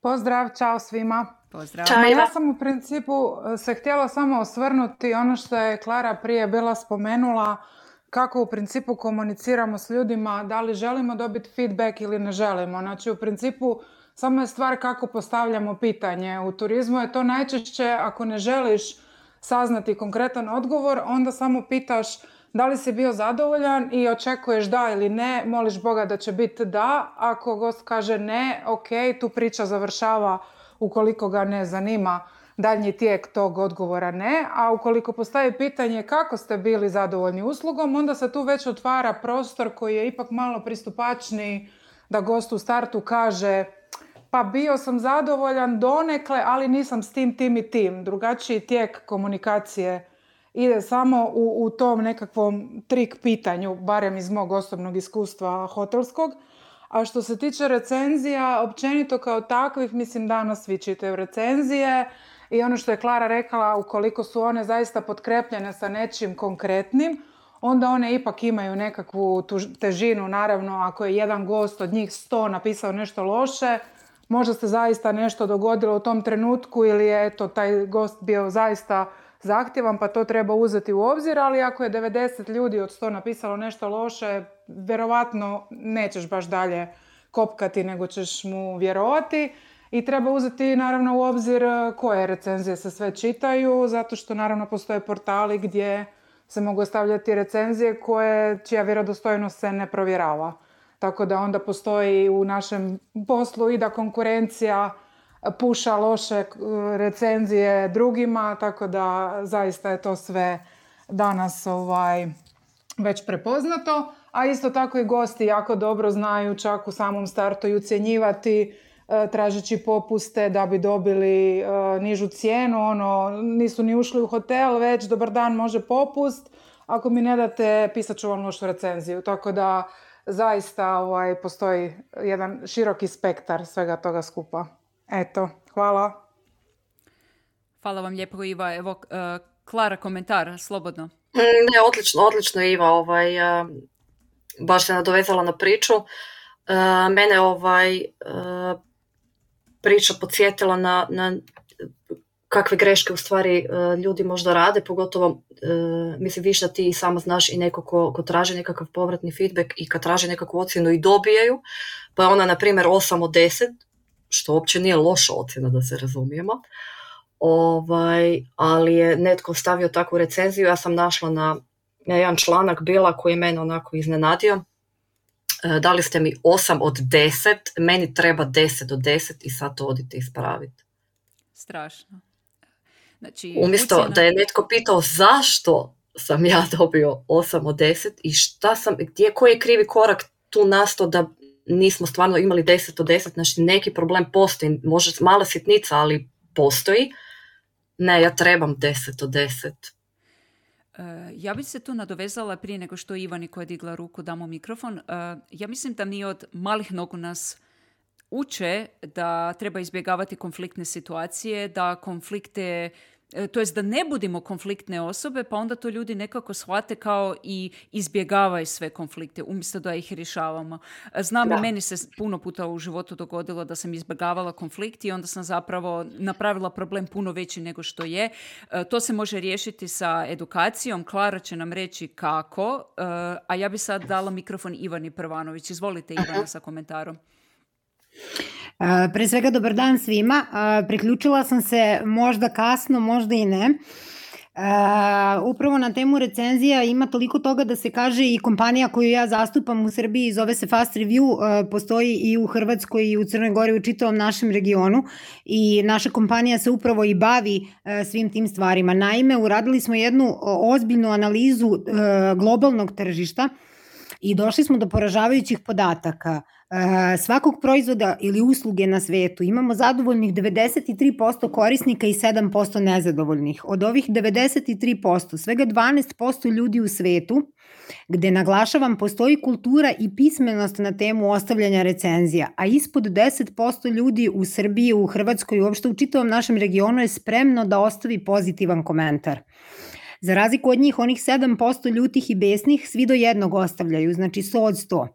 Pozdrav, čao svima. Pozdrav. Čao, ja sam u principu se htjela samo osvrnuti ono što je Klara prije bila spomenula, kako u principu komuniciramo s ljudima, da li želimo dobiti feedback ili ne želimo. Znači u principu samo je stvar kako postavljamo pitanje. U turizmu je to najčešće, ako ne želiš saznati konkretan odgovor, onda samo pitaš da li si bio zadovoljan i očekuješ da ili ne, moliš Boga da će biti da. Ako gost kaže ne, ok, tu priča završava ukoliko ga ne zanima daljnji tijek tog odgovora ne. A ukoliko postavi pitanje kako ste bili zadovoljni uslugom, onda se tu već otvara prostor koji je ipak malo pristupačniji da gost u startu kaže pa bio sam zadovoljan donekle, ali nisam s tim, tim i tim. Drugačiji tijek komunikacije ide samo u, u tom nekakvom trik pitanju, barem iz mog osobnog iskustva hotelskog. A što se tiče recenzija, općenito kao takvih, mislim danas svi čitaju recenzije i ono što je Klara rekla, ukoliko su one zaista potkrepljene sa nečim konkretnim, onda one ipak imaju nekakvu težinu. Naravno, ako je jedan gost od njih sto napisao nešto loše, možda se zaista nešto dogodilo u tom trenutku ili je eto, taj gost bio zaista zahtjevan, pa to treba uzeti u obzir, ali ako je devedeset ljudi od sto napisalo nešto loše, vjerovatno nećeš baš dalje kopkati, nego ćeš mu vjerovati. I treba uzeti naravno u obzir koje recenzije se sve čitaju, zato što naravno postoje portali gdje se mogu stavljati recenzije koje, čija vjerodostojnost se ne provjerava. Tako da onda postoji u našem poslu i da konkurencija puša loše recenzije drugima, tako da zaista je to sve danas ovaj, već prepoznato. A isto tako i gosti jako dobro znaju čak u samom startu i ucjenjivati, tražeći popuste da bi dobili uh, nižu cijenu, ono, nisu ni ušli u hotel, već dobar dan, može popust, ako mi ne date, pisat ću vam lošu recenziju. Tako da zaista ovaj, postoji jedan široki spektar svega toga skupa. Eto, hvala. Hvala vam lijepo, Iva. Evo, uh, Klara, komentar, slobodno. Ne, odlično, odlično, Iva, ovaj, uh, baš se nadovezala na priču. Uh, mene ovaj... Uh, priča podsjetila na, na kakve greške u stvari uh, ljudi možda rade, pogotovo uh, mislim više da ti samo znaš i neko ko, ko traži nekakav povratni feedback i kad traži nekakvu ocjenu i dobijaju, pa je ona na primjer osam od deset, što uopće nije loša ocjena da se razumijemo, ovaj, ali je netko stavio takvu recenziju, ja sam našla na, na jedan članak bila koji je mene onako iznenadio. Dali ste mi osam od deset, meni treba deset od deset i sad to odite ispraviti. Strašno. Znači, umjesto ucjena... da je netko pitao zašto sam ja dobio osam od deset i šta sam, gdje, koji je krivi korak tu nastao da nismo stvarno imali deset od deset, znači neki problem postoji, može mala sitnica, ali postoji. Ne, ja trebam deset od deset. Ja bih se tu nadovezala prije nego što Ivani koja je digla ruku damo mikrofon. Ja mislim da mi od malih nogu nas uče da treba izbjegavati konfliktne situacije, da konflikte, to jest da ne budemo konfliktne osobe, pa onda to ljudi nekako shvate kao i izbjegavaju sve konflikte, umjesto da ih rješavamo. Znam da. I meni se puno puta u životu dogodilo da sam izbjegavala konflikt i onda sam zapravo napravila problem puno veći nego što je. To se može riješiti sa edukacijom. Klara će nam reći kako, a ja bi sad dala mikrofon Ivani Prvanović. Izvolite, Ivana, sa komentarom. Uh, pre svega dobar dan svima. Uh, priključila sam se možda kasno, možda i ne. Uh, upravo na temu recenzija ima toliko toga da se kaže i kompanija koju ja zastupam u Srbiji zove se Fast Review, uh, postoji i u Hrvatskoj i u Crnoj Gori, u čitavom našem regionu i naša kompanija se upravo i bavi uh, svim tim stvarima. Naime, uradili smo jednu ozbiljnu analizu uh, globalnog tržišta i došli smo do poražavajućih podataka. Uh, svakog proizvoda ili usluge na svetu imamo zadovoljnih devedeset tri posto korisnika i sedam posto nezadovoljnih. Od ovih devedeset tri posto, svega dvanaest posto ljudi u svetu, gde naglašavam postoji kultura i pismenost na temu ostavljanja recenzija, a ispod deset posto ljudi u Srbiji, u Hrvatskoj i uopšte u čitavom našem regionu je spremno da ostavi pozitivan komentar. Za razliku od njih, onih sedam posto ljutih i besnih, svi do jednog ostavljaju, znači sto od sto.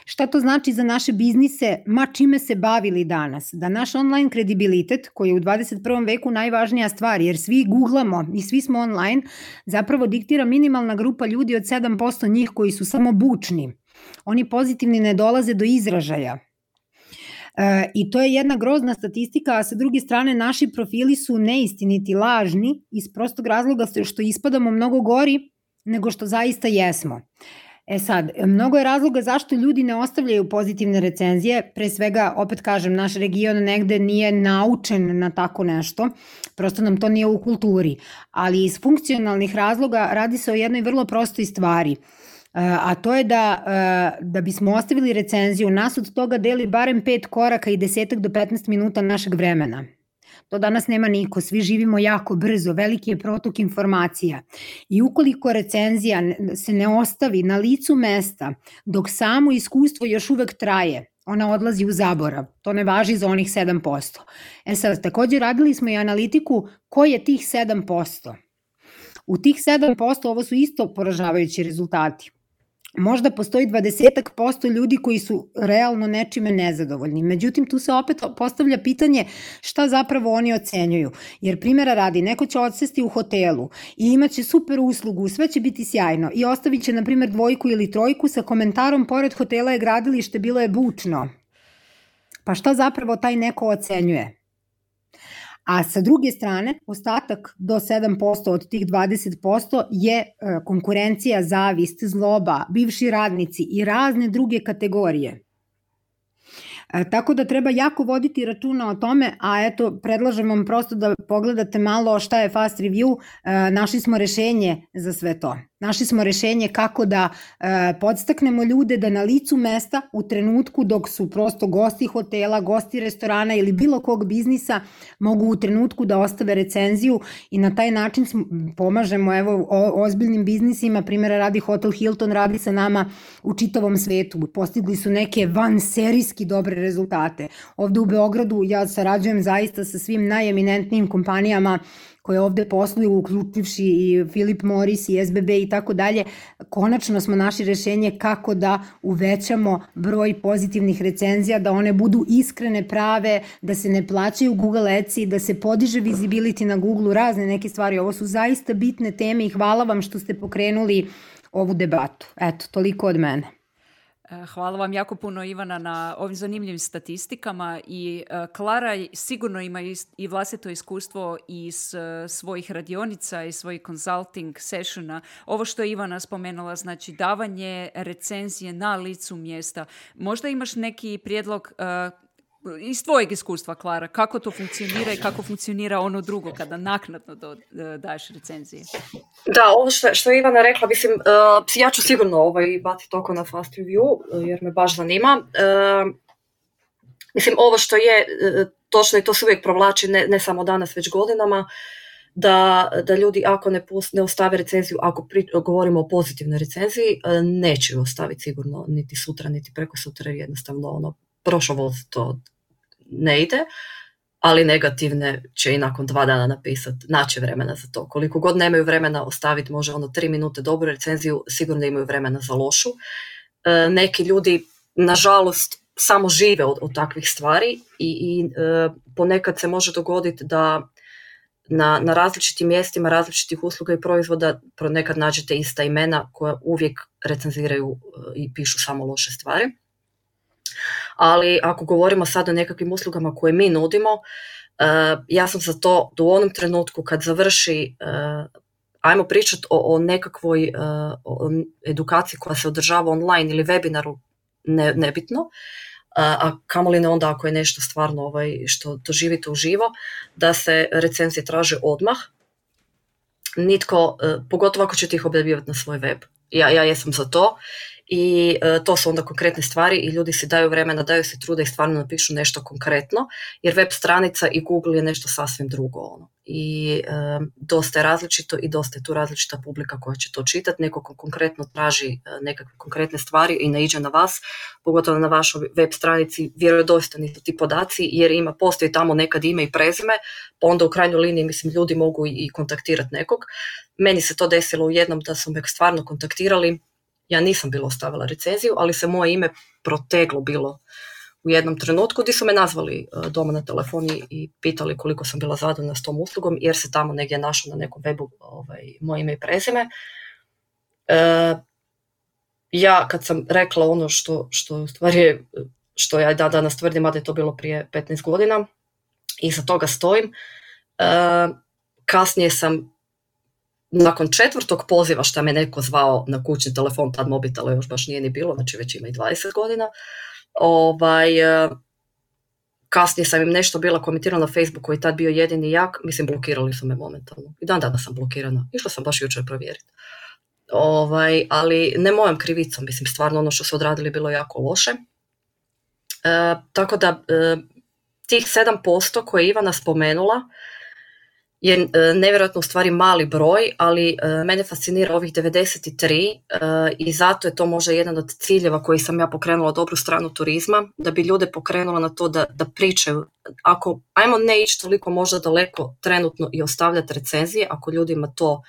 Šta to znači za naše biznise, ma čime se bavili danas? Da naš online kredibilitet, koji je u dvadeset prvom veku najvažnija stvar, jer svi googlamo i svi smo online, zapravo diktira minimalna grupa ljudi od sedam posto njih koji su samo bučni. Oni pozitivni ne dolaze do izražaja. E, I to je jedna grozna statistika, a sa druge strane naši profili su neistiniti, lažni, iz prostog razloga što ispadamo mnogo gori nego što zaista jesmo. E sad, mnogo je razloga zašto ljudi ne ostavljaju pozitivne recenzije, pre svega, opet kažem, naš region negde nije naučen na tako nešto, prosto nam to nije u kulturi, ali iz funkcionalnih razloga radi se o jednoj vrlo prostoj stvari, a to je da, da bismo ostavili recenziju, nas od toga deli barem pet koraka i desetak do petnaest minuta našeg vremena. To danas nema niko, svi živimo jako brzo, veliki je protok informacija i ukoliko recenzija se ne ostavi na licu mesta dok samo iskustvo još uvek traje, ona odlazi u zaborav, to ne važi za onih sedam posto. E sad, također radili smo i analitiku ko je tih sedam posto. U tih sedam posto ovo su isto poražavajući rezultati. možda postoji dvadeset posto ljudi koji su realno nečime nezadovoljni. Međutim, tu se opet postavlja pitanje šta zapravo oni ocenjuju. Jer primjera radi, neko će odsesti u hotelu i imaće super uslugu, sve će biti sjajno i ostavit će, na primjer, dvojku ili trojku sa komentarom pored hotela je gradilište, bilo je bučno. Pa šta zapravo taj neko ocenjuje? A sa druge strane, ostatak do sedam posto od tih dvadeset posto je konkurencija, zavist, zloba, bivši radnici i razne druge kategorije. E, tako da treba jako voditi računa o tome, a eto, predlažem vam prosto da pogledate malo šta je Fast Review, e, našli smo rešenje za sve to. Našli smo rešenje kako da e, podstaknemo ljude da na licu mesta u trenutku dok su prosto gosti hotela, gosti restorana ili bilo kog biznisa mogu u trenutku da ostave recenziju i na taj način pomažemo evo o, ozbiljnim biznisima, primjera radi Hotel Hilton radi sa nama u čitavom svetu, postigli su neke vanserijski dobre rezultate. Ovde u Beogradu ja sarađujem zaista sa svim najeminentnijim kompanijama koje ovde posluju, uključivši i Philip Morris i S B B i tako dalje. Konačno smo našli rešenje kako da uvećamo broj pozitivnih recenzija, da one budu iskrene, prave, da se ne plaćaju Google Adsi, da se podiže visibility na Google, razne neke stvari. Ovo su zaista bitne teme i hvala vam što ste pokrenuli ovu debatu. Eto, toliko od mene. Hvala vam jako puno, Ivana, na ovim zanimljivim statistikama i uh, Klara sigurno ima i vlastito iskustvo iz uh, svojih radionica i svojih consulting sessiona. Ovo što je Ivana spomenula, znači davanje recenzije na licu mjesta. Možda imaš neki prijedlog uh, iz tvojeg iskustva, Klara, kako to funkcionira i kako funkcionira ono drugo kada naknadno do, daješ recenzije? Da, ovo što, što je Ivana rekla, mislim, uh, ja ću sigurno ovaj baciti oko na Fast Review, jer me baš zanima. Uh, mislim, ovo što je uh, točno i to se uvijek provlači, ne, ne samo danas, već godinama, da, da ljudi ako ne, pust, ne ostave recenziju, ako pri, govorimo o pozitivnoj recenziji, uh, neće ju ostaviti sigurno niti sutra, niti preko sutra, jednostavno ono, prošlo voz to ne ide, ali negativne će i nakon dva dana napisati, naći vremena za to. Koliko god nemaju vremena ostaviti možda ono tri minute dobru recenziju, sigurno imaju vremena za lošu. E, neki ljudi, nažalost, samo žive od, od takvih stvari i, i e, ponekad se može dogoditi da na, na različitim mjestima, različitih usluga i proizvoda ponekad nađete ista imena koja uvijek recenziraju i pišu samo loše stvari. Ali ako govorimo sad o nekakvim uslugama koje mi nudimo, uh, ja sam za to da u onom trenutku kad završi, uh, ajmo pričati o, o nekakvoj uh, o edukaciji koja se održava online ili webinaru, ne, nebitno, uh, a kamoli ne onda ako je nešto stvarno ovaj, što doživite uživo, da se recenzije traže odmah. Nitko, uh, pogotovo ako ćete ih objavljivati na svoj web. Ja, ja jesam za to. I e, to su onda konkretne stvari i ljudi si daju vremena, daju si truda i stvarno napišu nešto konkretno, jer web stranica i Google je nešto sasvim drugo. Ono. I e, dosta je različito i dosta je tu različita publika koja će to čitati. Neko ko konkretno traži e, nekakve konkretne stvari i ne iđe na vas, pogotovo na vašoj web stranici, vjerodostojni su ti podaci, jer ima, postoji tamo nekad ime i prezime, pa onda u krajnjoj liniji, mislim, ljudi mogu i, i kontaktirati nekog. Meni se to desilo u jednom da su me stvarno kontaktirali. Ja nisam bila ostavila recenziju, ali se moje ime proteglo bilo u jednom trenutku gdje su me nazvali doma na telefoni i pitali koliko sam bila zadovoljna s tom uslugom, jer se tamo negdje našlo na nekom webu ovaj, moje ime i prezime. E, ja kad sam rekla ono što, što, stvari, što ja da danas tvrdim, a da je to bilo prije petnaest godina, i za toga stojim, e, kasnije sam nakon četvrtog poziva što me neko zvao na kućni telefon, tad mobitela još baš nije ni bilo, znači već ima i dvadeset godina, ovaj, kasnije sam im nešto bila komentirala na Facebooku koji je tad bio jedini jak, mislim blokirali su me momentalno. I dan danas sam blokirana, išla sam baš jučer provjeriti. Ovaj, ali ne mojom krivicom, mislim stvarno ono što su odradili bilo jako loše. E, tako da e, tih sedam posto koje je Ivana spomenula, je nevjerojatno u stvari mali broj, ali uh, mene fascinira ovih devedeset tri uh, i zato je to možda jedan od ciljeva koji sam ja pokrenula dobru stranu turizma, da bi ljude pokrenula na to da, da pričaju. Ako, ajmo ne ići toliko možda daleko trenutno i ostavljati recenzije, ako ljudima to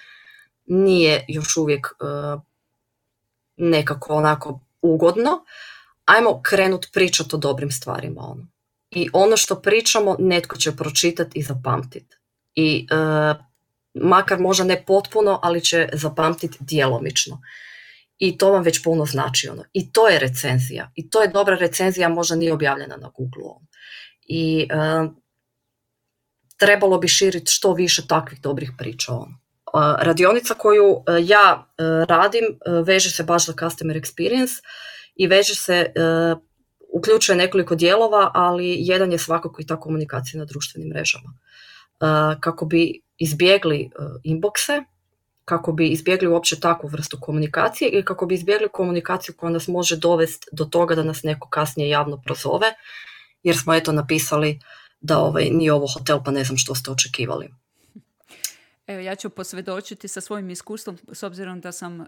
nije još uvijek uh, nekako onako ugodno, ajmo krenut pričati o dobrim stvarima. Ono. I ono što pričamo, netko će pročitati i zapamtiti. I e, makar možda ne potpuno, ali će zapamtiti djelomično. I to vam već puno znači. Ono. I to je recenzija. I to je dobra recenzija, možda nije objavljena na Google-u. I e, trebalo bi širiti što više takvih dobrih priča. Ono. E, radionica koju e, ja e, radim, e, veže se baš za customer experience i veže se, e, uključuje nekoliko dijelova, ali jedan je svakako i ta komunikacija na društvenim mrežama. E, kako bi izbjegli e, inboxe, kako bi izbjegli uopće takvu vrstu komunikacije i kako bi izbjegli komunikaciju koja nas može dovesti do toga da nas neko kasnije javno prozove, jer smo eto napisali da ovaj, nije ovo hotel pa ne znam što ste očekivali. Evo, ja ću posvjedočiti sa svojim iskustvom, s obzirom da sam uh,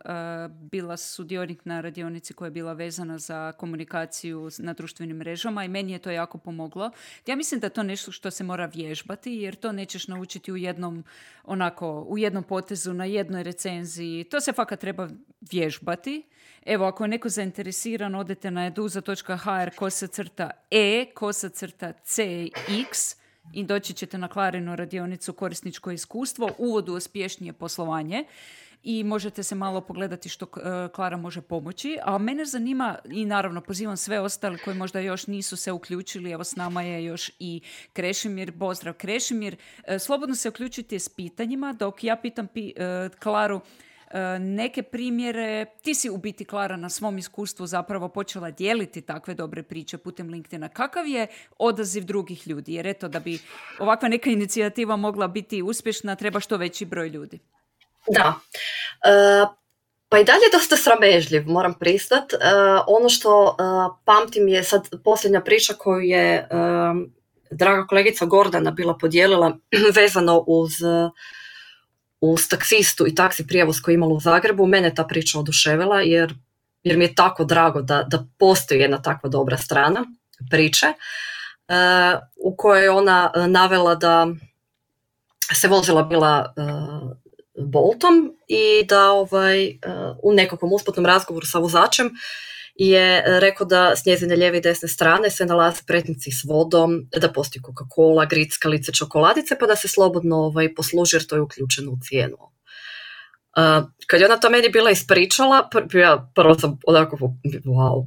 bila sudionik na radionici koja je bila vezana za komunikaciju na društvenim mrežama i meni je to jako pomoglo. Ja mislim da je to nešto što se mora vježbati, jer to nećeš naučiti u jednom, onako, u jednom potezu, na jednoj recenziji. To se fakat treba vježbati. Evo, ako je neko zainteresiran, odete na eduza točka h r kosa crta e kosa crta c x i doći ćete na Klarinu radionicu korisničko iskustvo, uvod u uspješnije poslovanje i možete se malo pogledati što Klara može pomoći. A mene zanima i naravno pozivam sve ostale koji možda još nisu se uključili, evo s nama je još i Krešimir, pozdrav Krešimir. Slobodno se uključite s pitanjima dok ja pitam pi, Klaru neke primjere. Ti si u biti, Klara, na svom iskustvu zapravo počela dijeliti takve dobre priče putem LinkedIna. Kakav je odaziv drugih ljudi? Jer eto, da bi ovakva neka inicijativa mogla biti uspješna, treba što veći broj ljudi. Da. E, pa i dalje dosta sramežljiv, moram pristat. E, ono što e, pamtim je sad posljednja priča koju je e, draga kolegica Gordana bila podijelila vezano uz uz taksistu i taksi prijevoz koji je imala u Zagrebu. Mene ta priča oduševila jer, jer mi je tako drago da, da postoji jedna takva dobra strana priče uh, u kojoj je ona navela da se vozila bila uh, Boltom i da ovaj, uh, u nekakvom usputnom razgovoru sa vozačem je rekao da s njezine lijeve i desne strane se nalaze pretnici s vodom, da postoji Coca-Cola, grickalice, čokoladice, pa da se slobodno ovaj, posluži jer to je uključeno u cijenu. Uh, kad je ona to meni bila ispričala, pr- ja prvo sam onako, wow,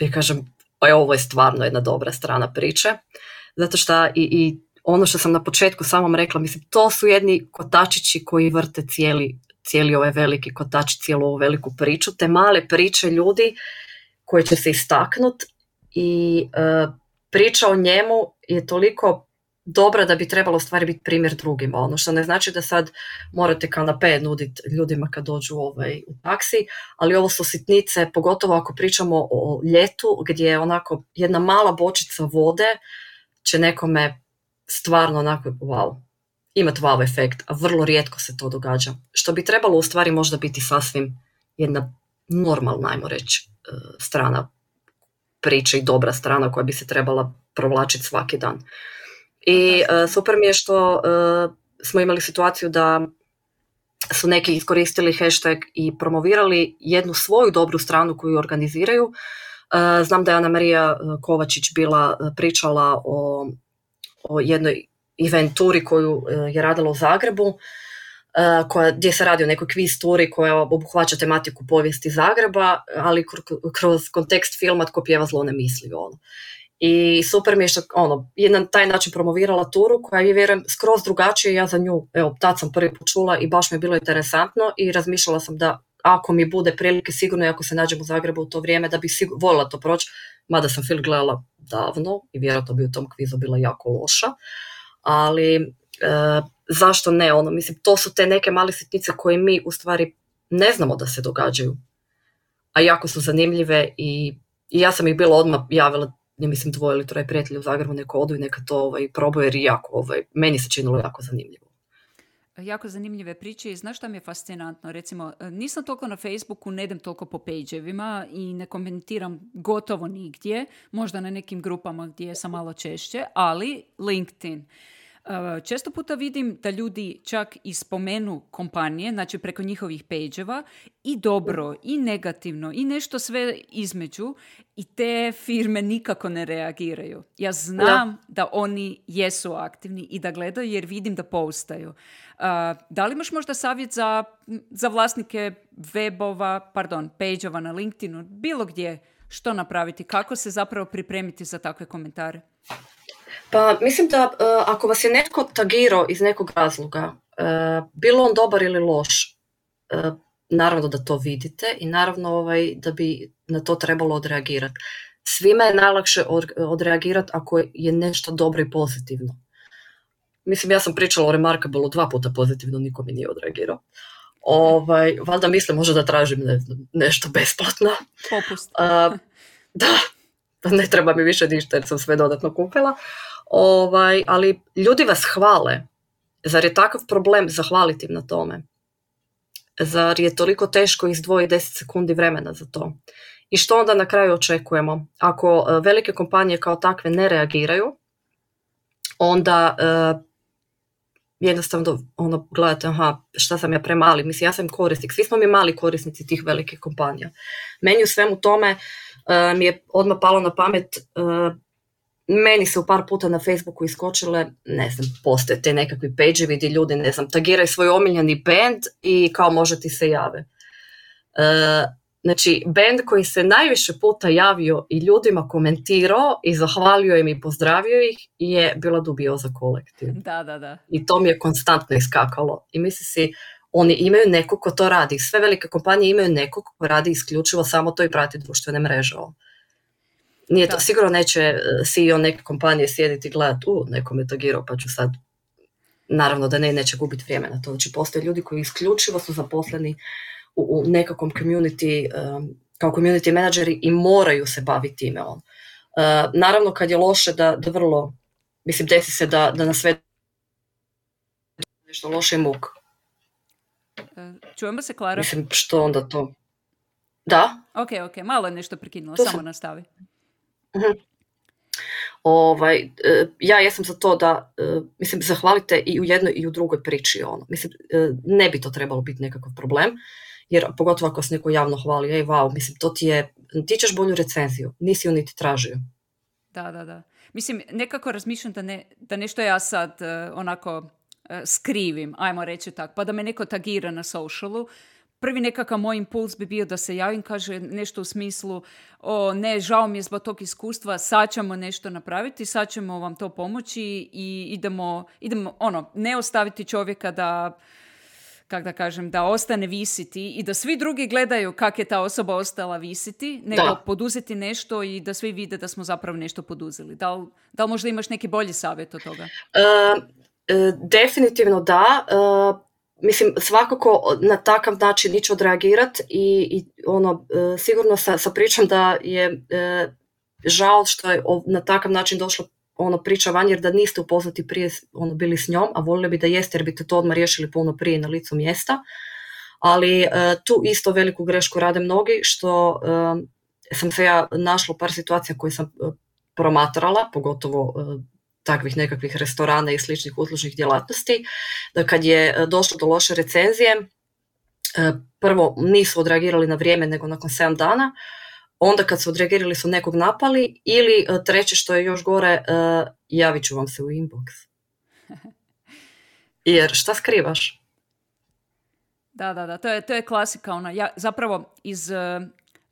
i kažem, ovo je stvarno jedna dobra strana priče, zato što i, i ono što sam na početku samom rekla, mislim, to su jedni kotačići koji vrte cijeli, cijeli ovaj veliki kotač, cijelu ovu veliku priču, te male priče ljudi koje će se istaknuti i e, priča o njemu je toliko dobra da bi trebalo stvari biti primjer drugima. Ono što ne znači da sad morate kanape nuditi ljudima kad dođu ovaj, u taksi, ali ovo su sitnice, pogotovo ako pričamo o ljetu gdje je onako jedna mala bočica vode će nekome stvarno onako wow, imati wow efekt, a vrlo rijetko se to događa. Što bi trebalo u stvari možda biti sasvim jedna normalna, ajmo reći, strana priče i dobra strana koja bi se trebala provlačiti svaki dan. I uh, super mi je što uh, smo imali situaciju da su neki iskoristili hashtag i promovirali jednu svoju dobru stranu koju organiziraju. Uh, znam da je Ana Marija Kovačić bila pričala o, o jednoj eventuri koju uh, je radila u Zagrebu, Uh, koja, gdje se radi o nekoj quiz turi koja obuhvaća tematiku povijesti Zagreba, ali kroz kontekst filma Tko pjeva zlo ne misli. Ono. I super mi je što ono, je na taj način promovirala turu koja je, vjerujem, skroz drugačije. Ja za nju, evo, tad sam prvi put čula i baš mi je bilo interesantno i razmišljala sam da ako mi bude prilike, sigurno i ako se nađem u Zagrebu u to vrijeme, da bih sigur, voljela to proći, mada sam film gledala davno i vjerojatno bi u tom kvizu bila jako loša, ali uh, zašto ne, ono, mislim, to su te neke male sitnice koje mi u stvari ne znamo da se događaju, a jako su zanimljive i, i ja sam ih bila odmah javila, ne mislim dvoje ili troje prijatelja u Zagrebu, neko odu i neka to ovaj, probaju jer jako, ovaj, meni se činilo jako zanimljivo. Jako zanimljive priče i znaš šta mi je fascinantno, recimo nisam toliko na Facebooku, ne idem toliko po page-evima i ne komentiram gotovo nigdje, možda na nekim grupama gdje sam malo češće, ali LinkedIn. Često puta vidim da ljudi čak i spomenu kompanije, znači preko njihovih page-eva, i dobro, i negativno, i nešto sve između, i te firme nikako ne reagiraju. Ja znam da, da oni jesu aktivni i da gledaju jer vidim da postaju. Uh, da li imaš možda savjet za, za vlasnike webova, pardon, page-ova na LinkedInu, bilo gdje, što napraviti, kako se zapravo pripremiti za takve komentare? Pa mislim da uh, ako vas je netko tagirao iz nekog razloga, uh, bilo on dobar ili loš, uh, naravno da to vidite i naravno ovaj, da bi na to trebalo odreagirati. Svima je najlakše od, odreagirati ako je nešto dobro i pozitivno. Mislim, ja sam pričala o Remarkable dva puta pozitivno, niko mi nije odreagirao. Ovaj, valjda mislim možda da tražim ne, nešto besplatno. Popust. Uh, da, ne treba mi više ništa jer sam sve dodatno kupila. Ovaj, ali ljudi vas hvale. Zar je takav problem zahvaliti im na tome? Zar je toliko teško izdvojiti deset sekundi vremena za to? I što onda na kraju očekujemo? Ako velike kompanije kao takve ne reagiraju, onda uh, jednostavno ono, gledate, aha, šta sam ja premali? Mislim, ja sam korisnik. Svi smo mi mali korisnici tih velikih kompanija. Meni u svemu tome uh, mi je odmah palo na pamet, uh, meni se u par puta na Facebooku iskočile, ne znam, postoje te nekakvi page-evi gdje ljudi, ne znam, tagiraju svoj omiljeni band i kao može ti se jave. Uh, znači, band koji se najviše puta javio i ljudima komentirao i zahvalio im i pozdravio ih je bila Dubioza kolektiv. Da, da, da. I to mi je konstantno iskakalo. I misli si, oni imaju nekog ko to radi. Sve velike kompanije imaju nekog ko radi isključivo samo to i prati društvene mreže. Nije to, sigurno neće C E O neke kompanije sjediti i gledati, u, neko me tagirao, pa ću sad, naravno da ne, neće gubiti vrijeme na to. Znači, postoje ljudi koji isključivo su zaposleni u, u nekakvom community, um, kao community menadžeri i moraju se baviti time. On. Uh, naravno, kad je loše da, da vrlo, mislim, desi se da, da na sve nešto loše muk. Čujemo se, Klara? Mislim, što onda to? Da? Ok, ok, malo je nešto prekinulo, To samo sam... nastavi. Uh-huh. Ovaj, uh, ja jesam za to da, uh, mislim, zahvalite i u jednoj i u drugoj priči. Ono. Mislim, uh, ne bi to trebalo biti nekakav problem, jer pogotovo ako se neko javno hvali, ej, wow, mislim, to ti je, ti ćeš bolju recenziju, nisi ju niti tražio. Da, da, da. Mislim, nekako razmišljam da, ne, da nešto ja sad uh, onako uh, skrivim, ajmo reći tako, pa da me neko tagira na socialu. Prvi nekakav moj impuls bi bio da se javim, kaže nešto u smislu, o ne, žao mi je zbog tog iskustva, sad ćemo nešto napraviti, sad ćemo vam to pomoći i idemo, idemo ono, ne ostaviti čovjeka da, kak da kažem, da ostane visiti i da svi drugi gledaju kak je ta osoba ostala visiti, nego da. Poduzeti nešto i da svi vide da smo zapravo nešto poduzeli. Da li, da li možda imaš neki bolji savjet od toga? Uh, uh, definitivno da. Uh... Mislim, svakako na takav način ići odreagirati i, i ono, e, sigurno sa, sa pričom da je e, žao što je o, na takav način došla ono, priča van, jer da niste upoznati prije ono, bili s njom, a voljeli bi da jeste jer biste to odmah riješili puno prije na licu mjesta. Ali e, tu isto veliku grešku rade mnogi, što e, sam se ja našla u par situacija koje sam e, promatrala, pogotovo e, takvih nekakvih restorana i sličnih uslužnih djelatnosti, da kad je došlo do loše recenzije, prvo nisu odreagirali na vrijeme nego nakon sedam dana, onda kad su odreagirali su nekog napali ili treće što je još gore, javit ću vam se u inbox. Jer šta skrivaš? Da, da, da, to je, to je klasika. Ona. Ja zapravo iz,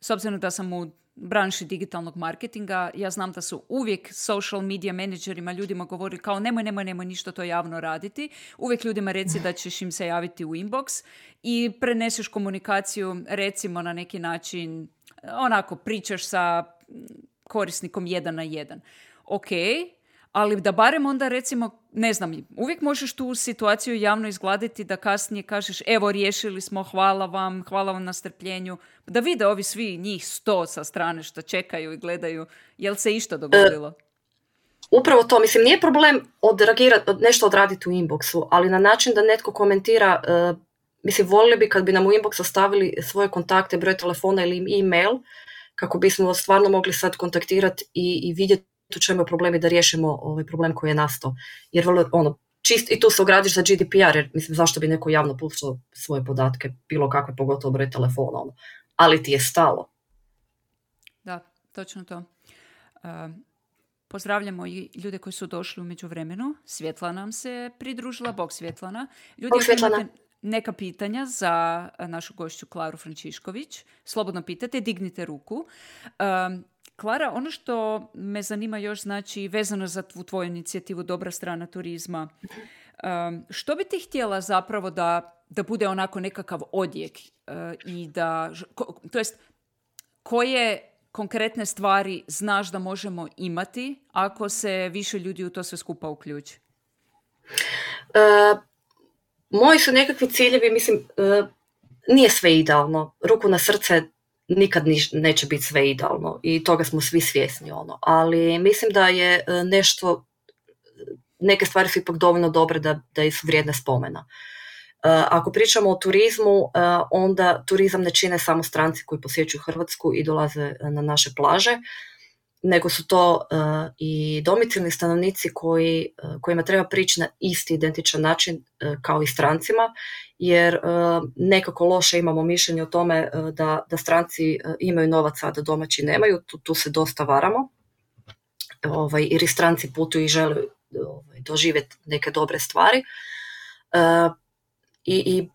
s obzirom da sam u branši digitalnog marketinga, ja znam da su uvijek social media menadžerima ljudima govorili kao nemoj, nemoj, nemoj ništa to javno raditi. Uvijek ljudima reci da ćeš im se javiti u inbox i preneseš komunikaciju recimo na neki način, onako pričaš sa korisnikom jedan na jedan. Ok, ali da barem onda recimo, ne znam, uvijek možeš tu situaciju javno izgladiti da kasnije kažeš evo riješili smo, hvala vam, hvala vam na strpljenju, da vide ovi svi njih sto sa strane što čekaju i gledaju, jel se išta dogodilo? E, upravo to, mislim, nije problem odreagirati, nešto odraditi u inboxu, ali na način da netko komentira, uh, mislim, volili bi kad bi nam u inbox ostavili svoje kontakte, broj telefona ili e-mail, kako bismo stvarno mogli sad kontaktirati i, i vidjeti u čemu je problem i da riješimo ovaj problem koji je nastao. Jer vrlo, ono, čist, i tu se ogradiš za G D P R, jer mislim zašto bi neko javno puštao svoje podatke, bilo kakve, pogotovo broj telefona, ono. Ali ti je stalo. Da, točno to. Uh, pozdravljamo i ljude koji su došli u međuvremenu. Svjetlana nam se pridružila. Bog Svjetlana. Ljudi, Bog Svjetlana. imate neka pitanja za našu gošću Klaru Frančišković, slobodno pitate, dignite ruku. Um, Klara, ono što me zanima još, znači, vezano za tvu, tvoju inicijativu Dobra strana turizma, um, što bi ti htjela zapravo da, da bude onako nekakav odjek uh, i da, ko, to jest, koje konkretne stvari znaš da možemo imati ako se više ljudi u to sve skupa uključi? Uh, moji su nekakvi ciljevi, mislim, uh, nije sve idealno. Ruku na srce, nikad niš, neće biti sve idealno i toga smo svi svjesni, ono. Ali mislim da je nešto, neke stvari su ipak dovoljno dobre da, da su vrijedne spomena. Uh, ako pričamo o turizmu, uh, onda turizam ne čine samo stranci koji posjećuju Hrvatsku i dolaze na naše plaže, nego su to uh, i domicilni stanovnici koji, uh, kojima treba prići na isti identičan način uh, kao i strancima, jer uh, nekako loše imamo mišljenje o tome uh, da, da stranci uh, imaju novaca, a da domaći nemaju, tu, tu se dosta varamo, ovaj, jer i stranci putuju i žele ovaj, doživjeti neke dobre stvari. Uh, i, i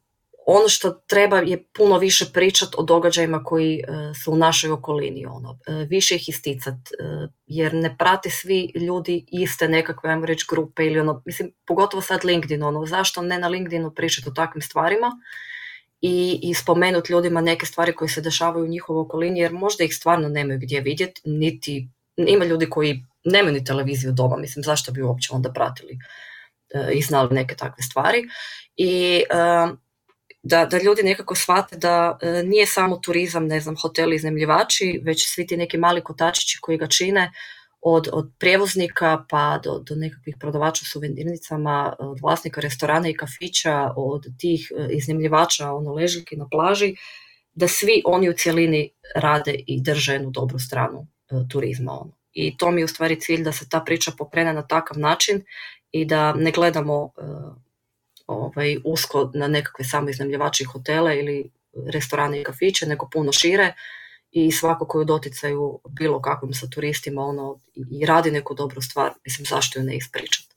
ono što treba je puno više pričati o događajima koji uh, su u našoj okolini, ono, uh, više ih isticati, uh, jer ne prate svi ljudi iste nekakve, ajmo reći, grupe ili ono, mislim, pogotovo sad LinkedIn, ono, zašto ne na LinkedInu pričati o takvim stvarima i, i spomenuti ljudima neke stvari koje se dešavaju u njihovoj okolini, jer možda ih stvarno nemaju gdje vidjeti, niti, ima ljudi koji nemaju ni televiziju doma, mislim, zašto bi uopće onda pratili uh, i znali neke takve stvari. I uh, Da, da ljudi nekako shvate da e, nije samo turizam, ne znam, hoteli, iznajmljivači, već svi ti neki mali kotačići koji ga čine, od, od prijevoznika pa do, do nekakvih prodavača u suvenirnicama, od vlasnika restorana i kafića, od tih e, iznajmljivača, ono, ležaljki na plaži, da svi oni u cjelini rade i drže jednu dobru stranu e, turizma. Ono. I to mi je u stvari cilj, da se ta priča pokrene na takav način i da ne gledamo e, Ovaj, usko na nekakve samo iznajmljivače hotele ili restorane i kafiće, nego puno šire i svako koji u doticaju bilo kakvim sa turistima, ono, i radi neku dobru stvar, mislim, zašto ju ne ispričati.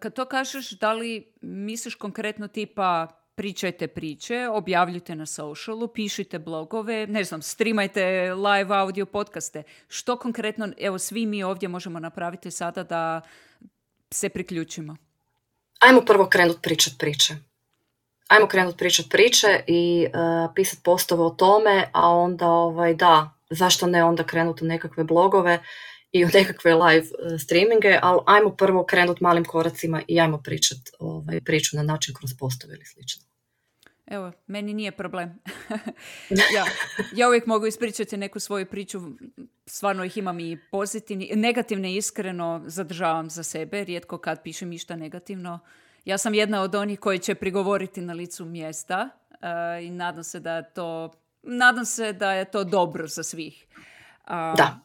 Kad to kažeš, da li misliš konkretno tipa pričajte priče, objavljujte na socialu, pišite blogove, ne znam, streamajte live audio podcaste. Što konkretno, evo, svi mi ovdje možemo napraviti sada da se priključimo? Ajmo prvo krenut pričat priče. Ajmo krenut pričat priče i uh, pisat postove o tome, a onda ovaj, da, zašto ne onda krenut u nekakve blogove i u nekakve live uh, streaminge, ali ajmo prvo krenut malim koracima i ajmo pričat ovaj, priču na način kroz postove ili slično. Evo, meni nije problem. ja, ja uvijek mogu ispričati neku svoju priču, stvarno ih imam i pozitivni, negativne iskreno zadržavam za sebe, rijetko kad pišem išta negativno. Ja sam jedna od onih koji će prigovoriti na licu mjesta uh, i nadam se da je to, nadam se da je to dobro za svih. Uh, da.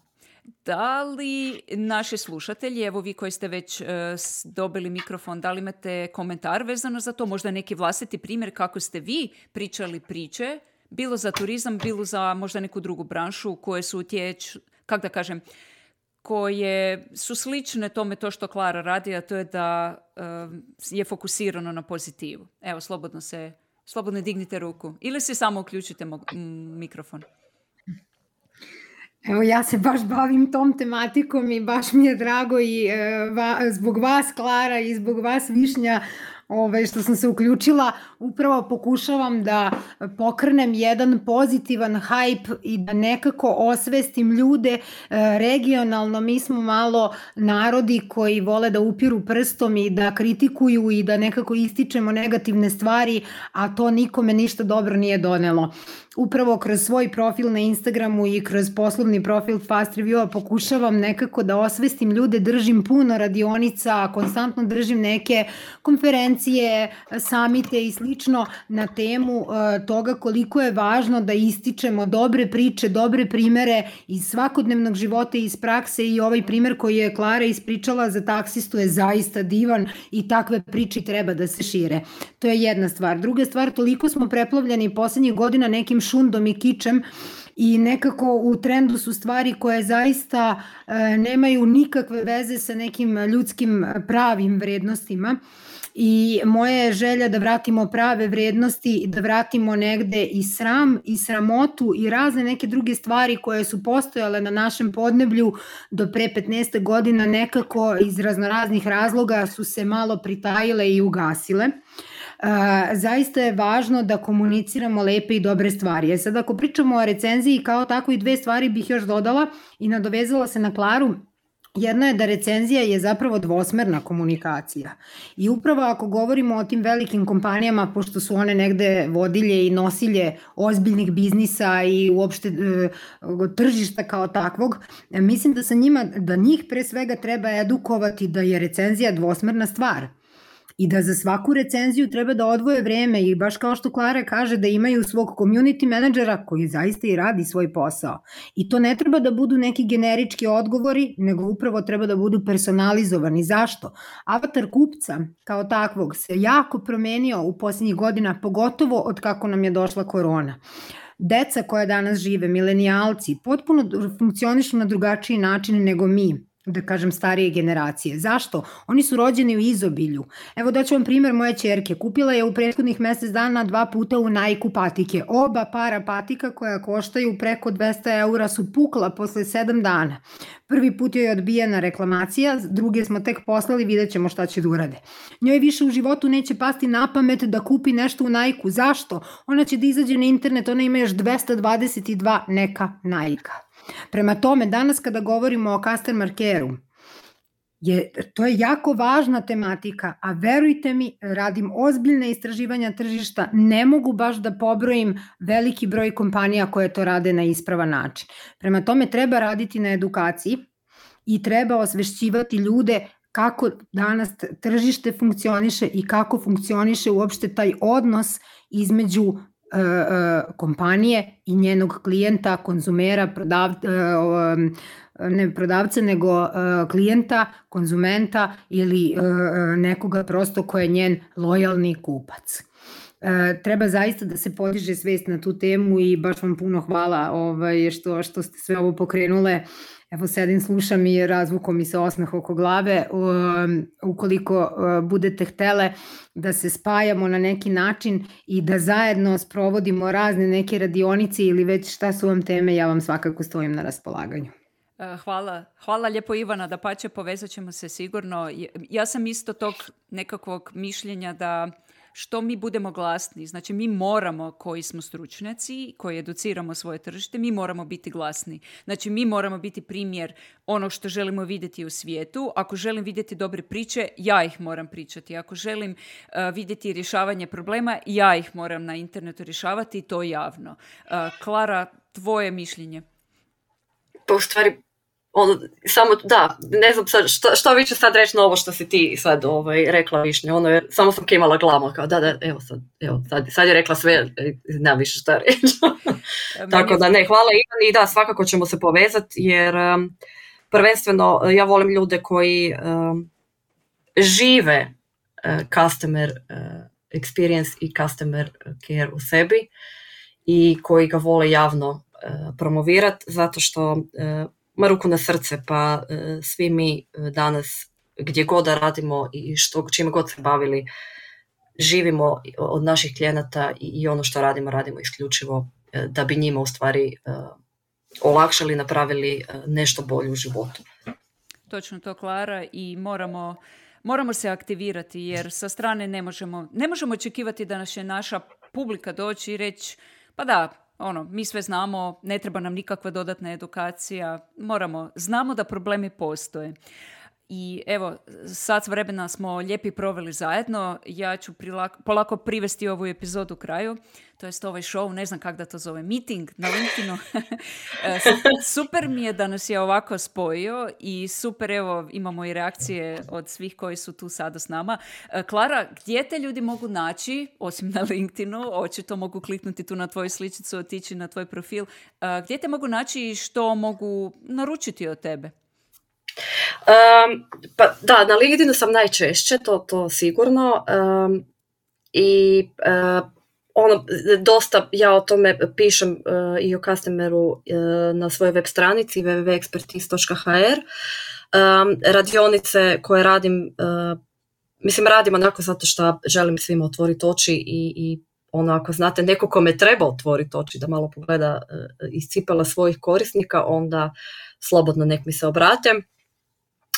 Da li naši slušatelji, evo vi koji ste već uh, dobili mikrofon, da li imate komentar vezano za to, možda neki vlastiti primjer kako ste vi pričali priče, bilo za turizam, bilo za možda neku drugu branšu koje su utjeć, kako da kažem, koje su slične tome to što Klara radi, a to je da uh, je fokusirano na pozitivu. Evo, slobodno se, slobodno dignite ruku ili si samo uključite mo- m- mikrofon. Evo, ja se baš bavim tom tematikom i baš mi je drago i e, va, zbog vas, Klara, i zbog vas, Višnja, ove, što sam se uključila, upravo pokušavam da pokrenem jedan pozitivan hype i da nekako osvestim ljude e, regionalno. Mi smo malo narodi koji vole da upiru prstom i da kritikuju i da nekako ističemo negativne stvari, a to nikome ništa dobro nije donelo. upravo kroz svoj profil na Instagramu i kroz poslovni profil Fast Review-a pokušavam nekako da osvestim ljude, držim puno radionica, konstantno držim neke konferencije, samite i slično na temu uh, toga koliko je važno da ističemo dobre priče, dobre primere iz svakodnevnog života i iz prakse i ovaj primer koji je Klara ispričala za taksistu je zaista divan i takve priče treba da se šire. To je jedna stvar. Druga stvar, toliko smo preplavljeni poslednjih godina nekim šundom i kičem i nekako u trendu su stvari koje zaista e, nemaju nikakve veze sa nekim ljudskim pravim vrednostima. I moja je želja da vratimo prave vrednosti, da vratimo negde i sram i sramotu i razne neke druge stvari koje su postojale na našem podneblju do pre petnaest godina nekako iz raznoraznih razloga su se malo pritajile i ugasile. Uh, zaista je važno da komuniciramo lepe i dobre stvari. E sad ako pričamo o recenziji kao tako i dve stvari bih još dodala i nadovezala se na Klaru. Jedno je da recenzija je zapravo dvosmerna komunikacija i upravo ako govorimo o tim velikim kompanijama, pošto su one negde vodilje i nosilje ozbiljnih biznisa i uopšte e, tržišta kao takvog, mislim da sa njima, da njih pre svega treba edukovati da je recenzija dvosmerna stvar. I da za svaku recenziju treba da odvoje vreme i baš kao što Klara kaže da imaju svog community menadžera koji zaista i radi svoj posao. I to ne treba da budu neki generički odgovori, nego upravo treba da budu personalizovani. Zašto? Avatar kupca kao takvog se jako promenio u posljednjih godina, pogotovo od kako nam je došla korona. Deca koja danas žive, milenijalci, potpuno funkcionišu na drugačiji način nego mi, da kažem starije generacije. Zašto? Oni su rođeni u izobilju. Evo daću vam primjer moje ćerke. Kupila je u prethodnih mesec dana dva puta u Nike patike. Oba para patika koja koštaju preko dvesta eura su pukla posle sedam dana. Prvi put joj je odbijena reklamacija, druge smo tek poslali, vidjet ćemo šta će da urade. Njoj više u životu neće pasti na pamet da kupi nešto u Nike-u. Zašto? Ona će da izađe na internet, ona ima još dvesta dvadeset dva neka Nike-a. Prema tome, danas kada govorimo o customer care-u, je, to je jako važna tematika, a verujte mi, radim ozbiljne istraživanja tržišta, ne mogu baš da pobrojim veliki broj kompanija koje to rade na ispravan način. Prema tome, treba raditi na edukaciji i treba osvešćivati ljude kako danas tržište funkcioniše i kako funkcioniše uopšte taj odnos između kompanije i njenog klijenta, konzumera, prodav, ne prodavca, nego klijenta, konzumenta ili nekoga prosto ko je njen lojalni kupac. Treba zaista da se podiže svest na tu temu i baš vam puno hvala ovaj, što, što ste sve ovo pokrenule. Evo sedim, slušam i razvuko mi se osmeh oko glave. Um, ukoliko uh, budete htele da se spajamo na neki način i da zajedno sprovodimo razne neke radionice ili već šta su vam teme, ja vam svakako stojim na raspolaganju. Hvala. Hvala lijepo Ivana, da pače povezat ćemo se sigurno. Ja sam isto tog nekakvog mišljenja da što mi budemo glasni, znači mi moramo, koji smo stručnjaci, koji educiramo svoje tržište, mi moramo biti glasni. Znači mi moramo biti primjer onog što želimo vidjeti u svijetu. Ako želim vidjeti dobre priče, ja ih moram pričati. Ako želim uh, vidjeti rješavanje problema, ja ih moram na internetu rješavati i to javno. Uh, Klara, tvoje mišljenje? Pa u stvari, ono, samo, da, ne znam sad, šta, šta vi ću sad reći na ovo što si ti sad ovaj, rekla Višnja, ono je, samo sam kimala glavom, kao da, da, evo sad, evo, sad, sad je rekla sve, nema više šta reći. Tako da ne, hvala Ivan i da, svakako ćemo se povezati, jer um, prvenstveno ja volim ljude koji um, žive uh, customer uh, experience i customer care u sebi i koji ga vole javno uh, promovirati, zato što uh, ma ruku na srce, pa e, svi mi e, danas gdje god da radimo i što, čime god se bavili, živimo od naših klijenata i, i ono što radimo, radimo isključivo e, da bi njima u stvari e, olakšali, napravili e, nešto bolje u životu. Točno to, Klara, i moramo, moramo se aktivirati jer sa strane ne možemo, ne možemo očekivati da će naša publika doći i reći pa da, ono, mi sve znamo, ne treba nam nikakva dodatna edukacija, moramo, znamo da problemi postoje. I evo, sat vremena smo lijepi proveli zajedno. Ja ću prilako, polako privesti ovu epizodu kraju. To jest ovaj show, ne znam kako da to zove, meeting na LinkedInu. Super mi je da nas je ovako spojio i super, evo, imamo i reakcije od svih koji su tu sada s nama. Klara, gdje te ljudi mogu naći, osim na LinkedInu, očito mogu kliknuti tu na tvoju sličicu, otići na tvoj profil. Gdje te mogu naći i što mogu naručiti od tebe? Um, pa da, na LinkedInu sam najčešće, to, to sigurno. Um, I uh, ono, dosta ja o tome pišem uh, i o customeru uh, na svojoj web stranici w w w dot expertise dot h r. Um, radionice koje radim, uh, mislim radim onako zato što želim svima otvoriti oči i, i ono, ako znate neko kome treba otvoriti oči da malo pogleda uh, iz cipela svojih korisnika, onda slobodno nek mi se obrate.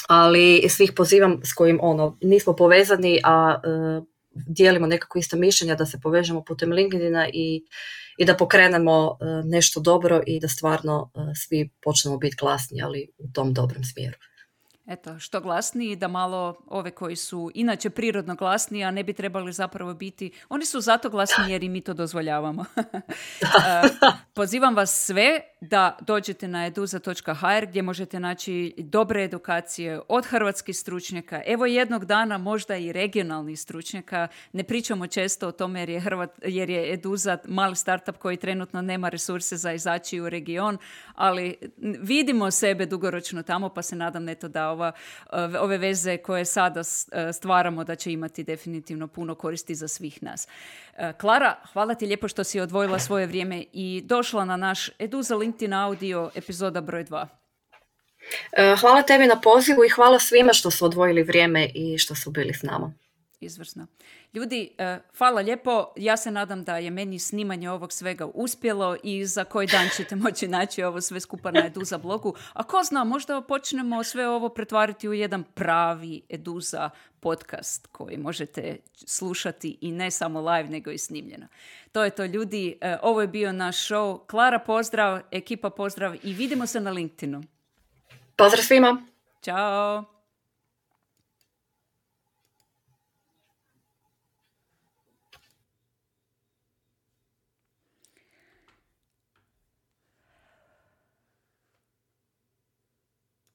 Ali svih pozivam s kojim ono, nismo povezani, a uh, dijelimo nekako ista mišljenja, da se povežemo putem LinkedIna i, i da pokrenemo uh, nešto dobro i da stvarno uh, svi počnemo biti glasni, ali u tom dobrom smjeru. Eto, što glasniji, da malo ove koji su inače prirodno glasniji, a ne bi trebali zapravo biti, oni su zato glasni jer i mi to dozvoljavamo. Pozivam vas sve da dođete na eduza dot h r gdje možete naći dobre edukacije od hrvatskih stručnjaka, evo jednog dana možda i regionalnih stručnjaka. Ne pričamo često o tome jer je, Hrvat, jer je Eduza mali startup koji trenutno nema resurse za izaći u region, ali vidimo sebe dugoročno tamo, pa se nadam neto da ova, ove veze koje sada stvaramo da će imati definitivno puno koristi za svih nas. Klara, hvala ti lijepo što si odvojila svoje vrijeme i došla na naš Eduza LinkedIn audio epizoda broj dva. Hvala tebi na pozivu i hvala svima što su odvojili vrijeme i što su bili s nama. Izvrsno. Ljudi, hvala lijepo. Ja se nadam da je meni snimanje ovog svega uspjelo i za koji dan ćete moći naći ovo sve skupa na Eduza blogu. A ko zna, možda počnemo sve ovo pretvariti u jedan pravi Eduza podcast koji možete slušati i ne samo live, nego i snimljeno. To je to, ljudi. Ovo je bio naš show. Klara, pozdrav. Ekipa, pozdrav i vidimo se na LinkedInu. Pozdrav svima. Ćao.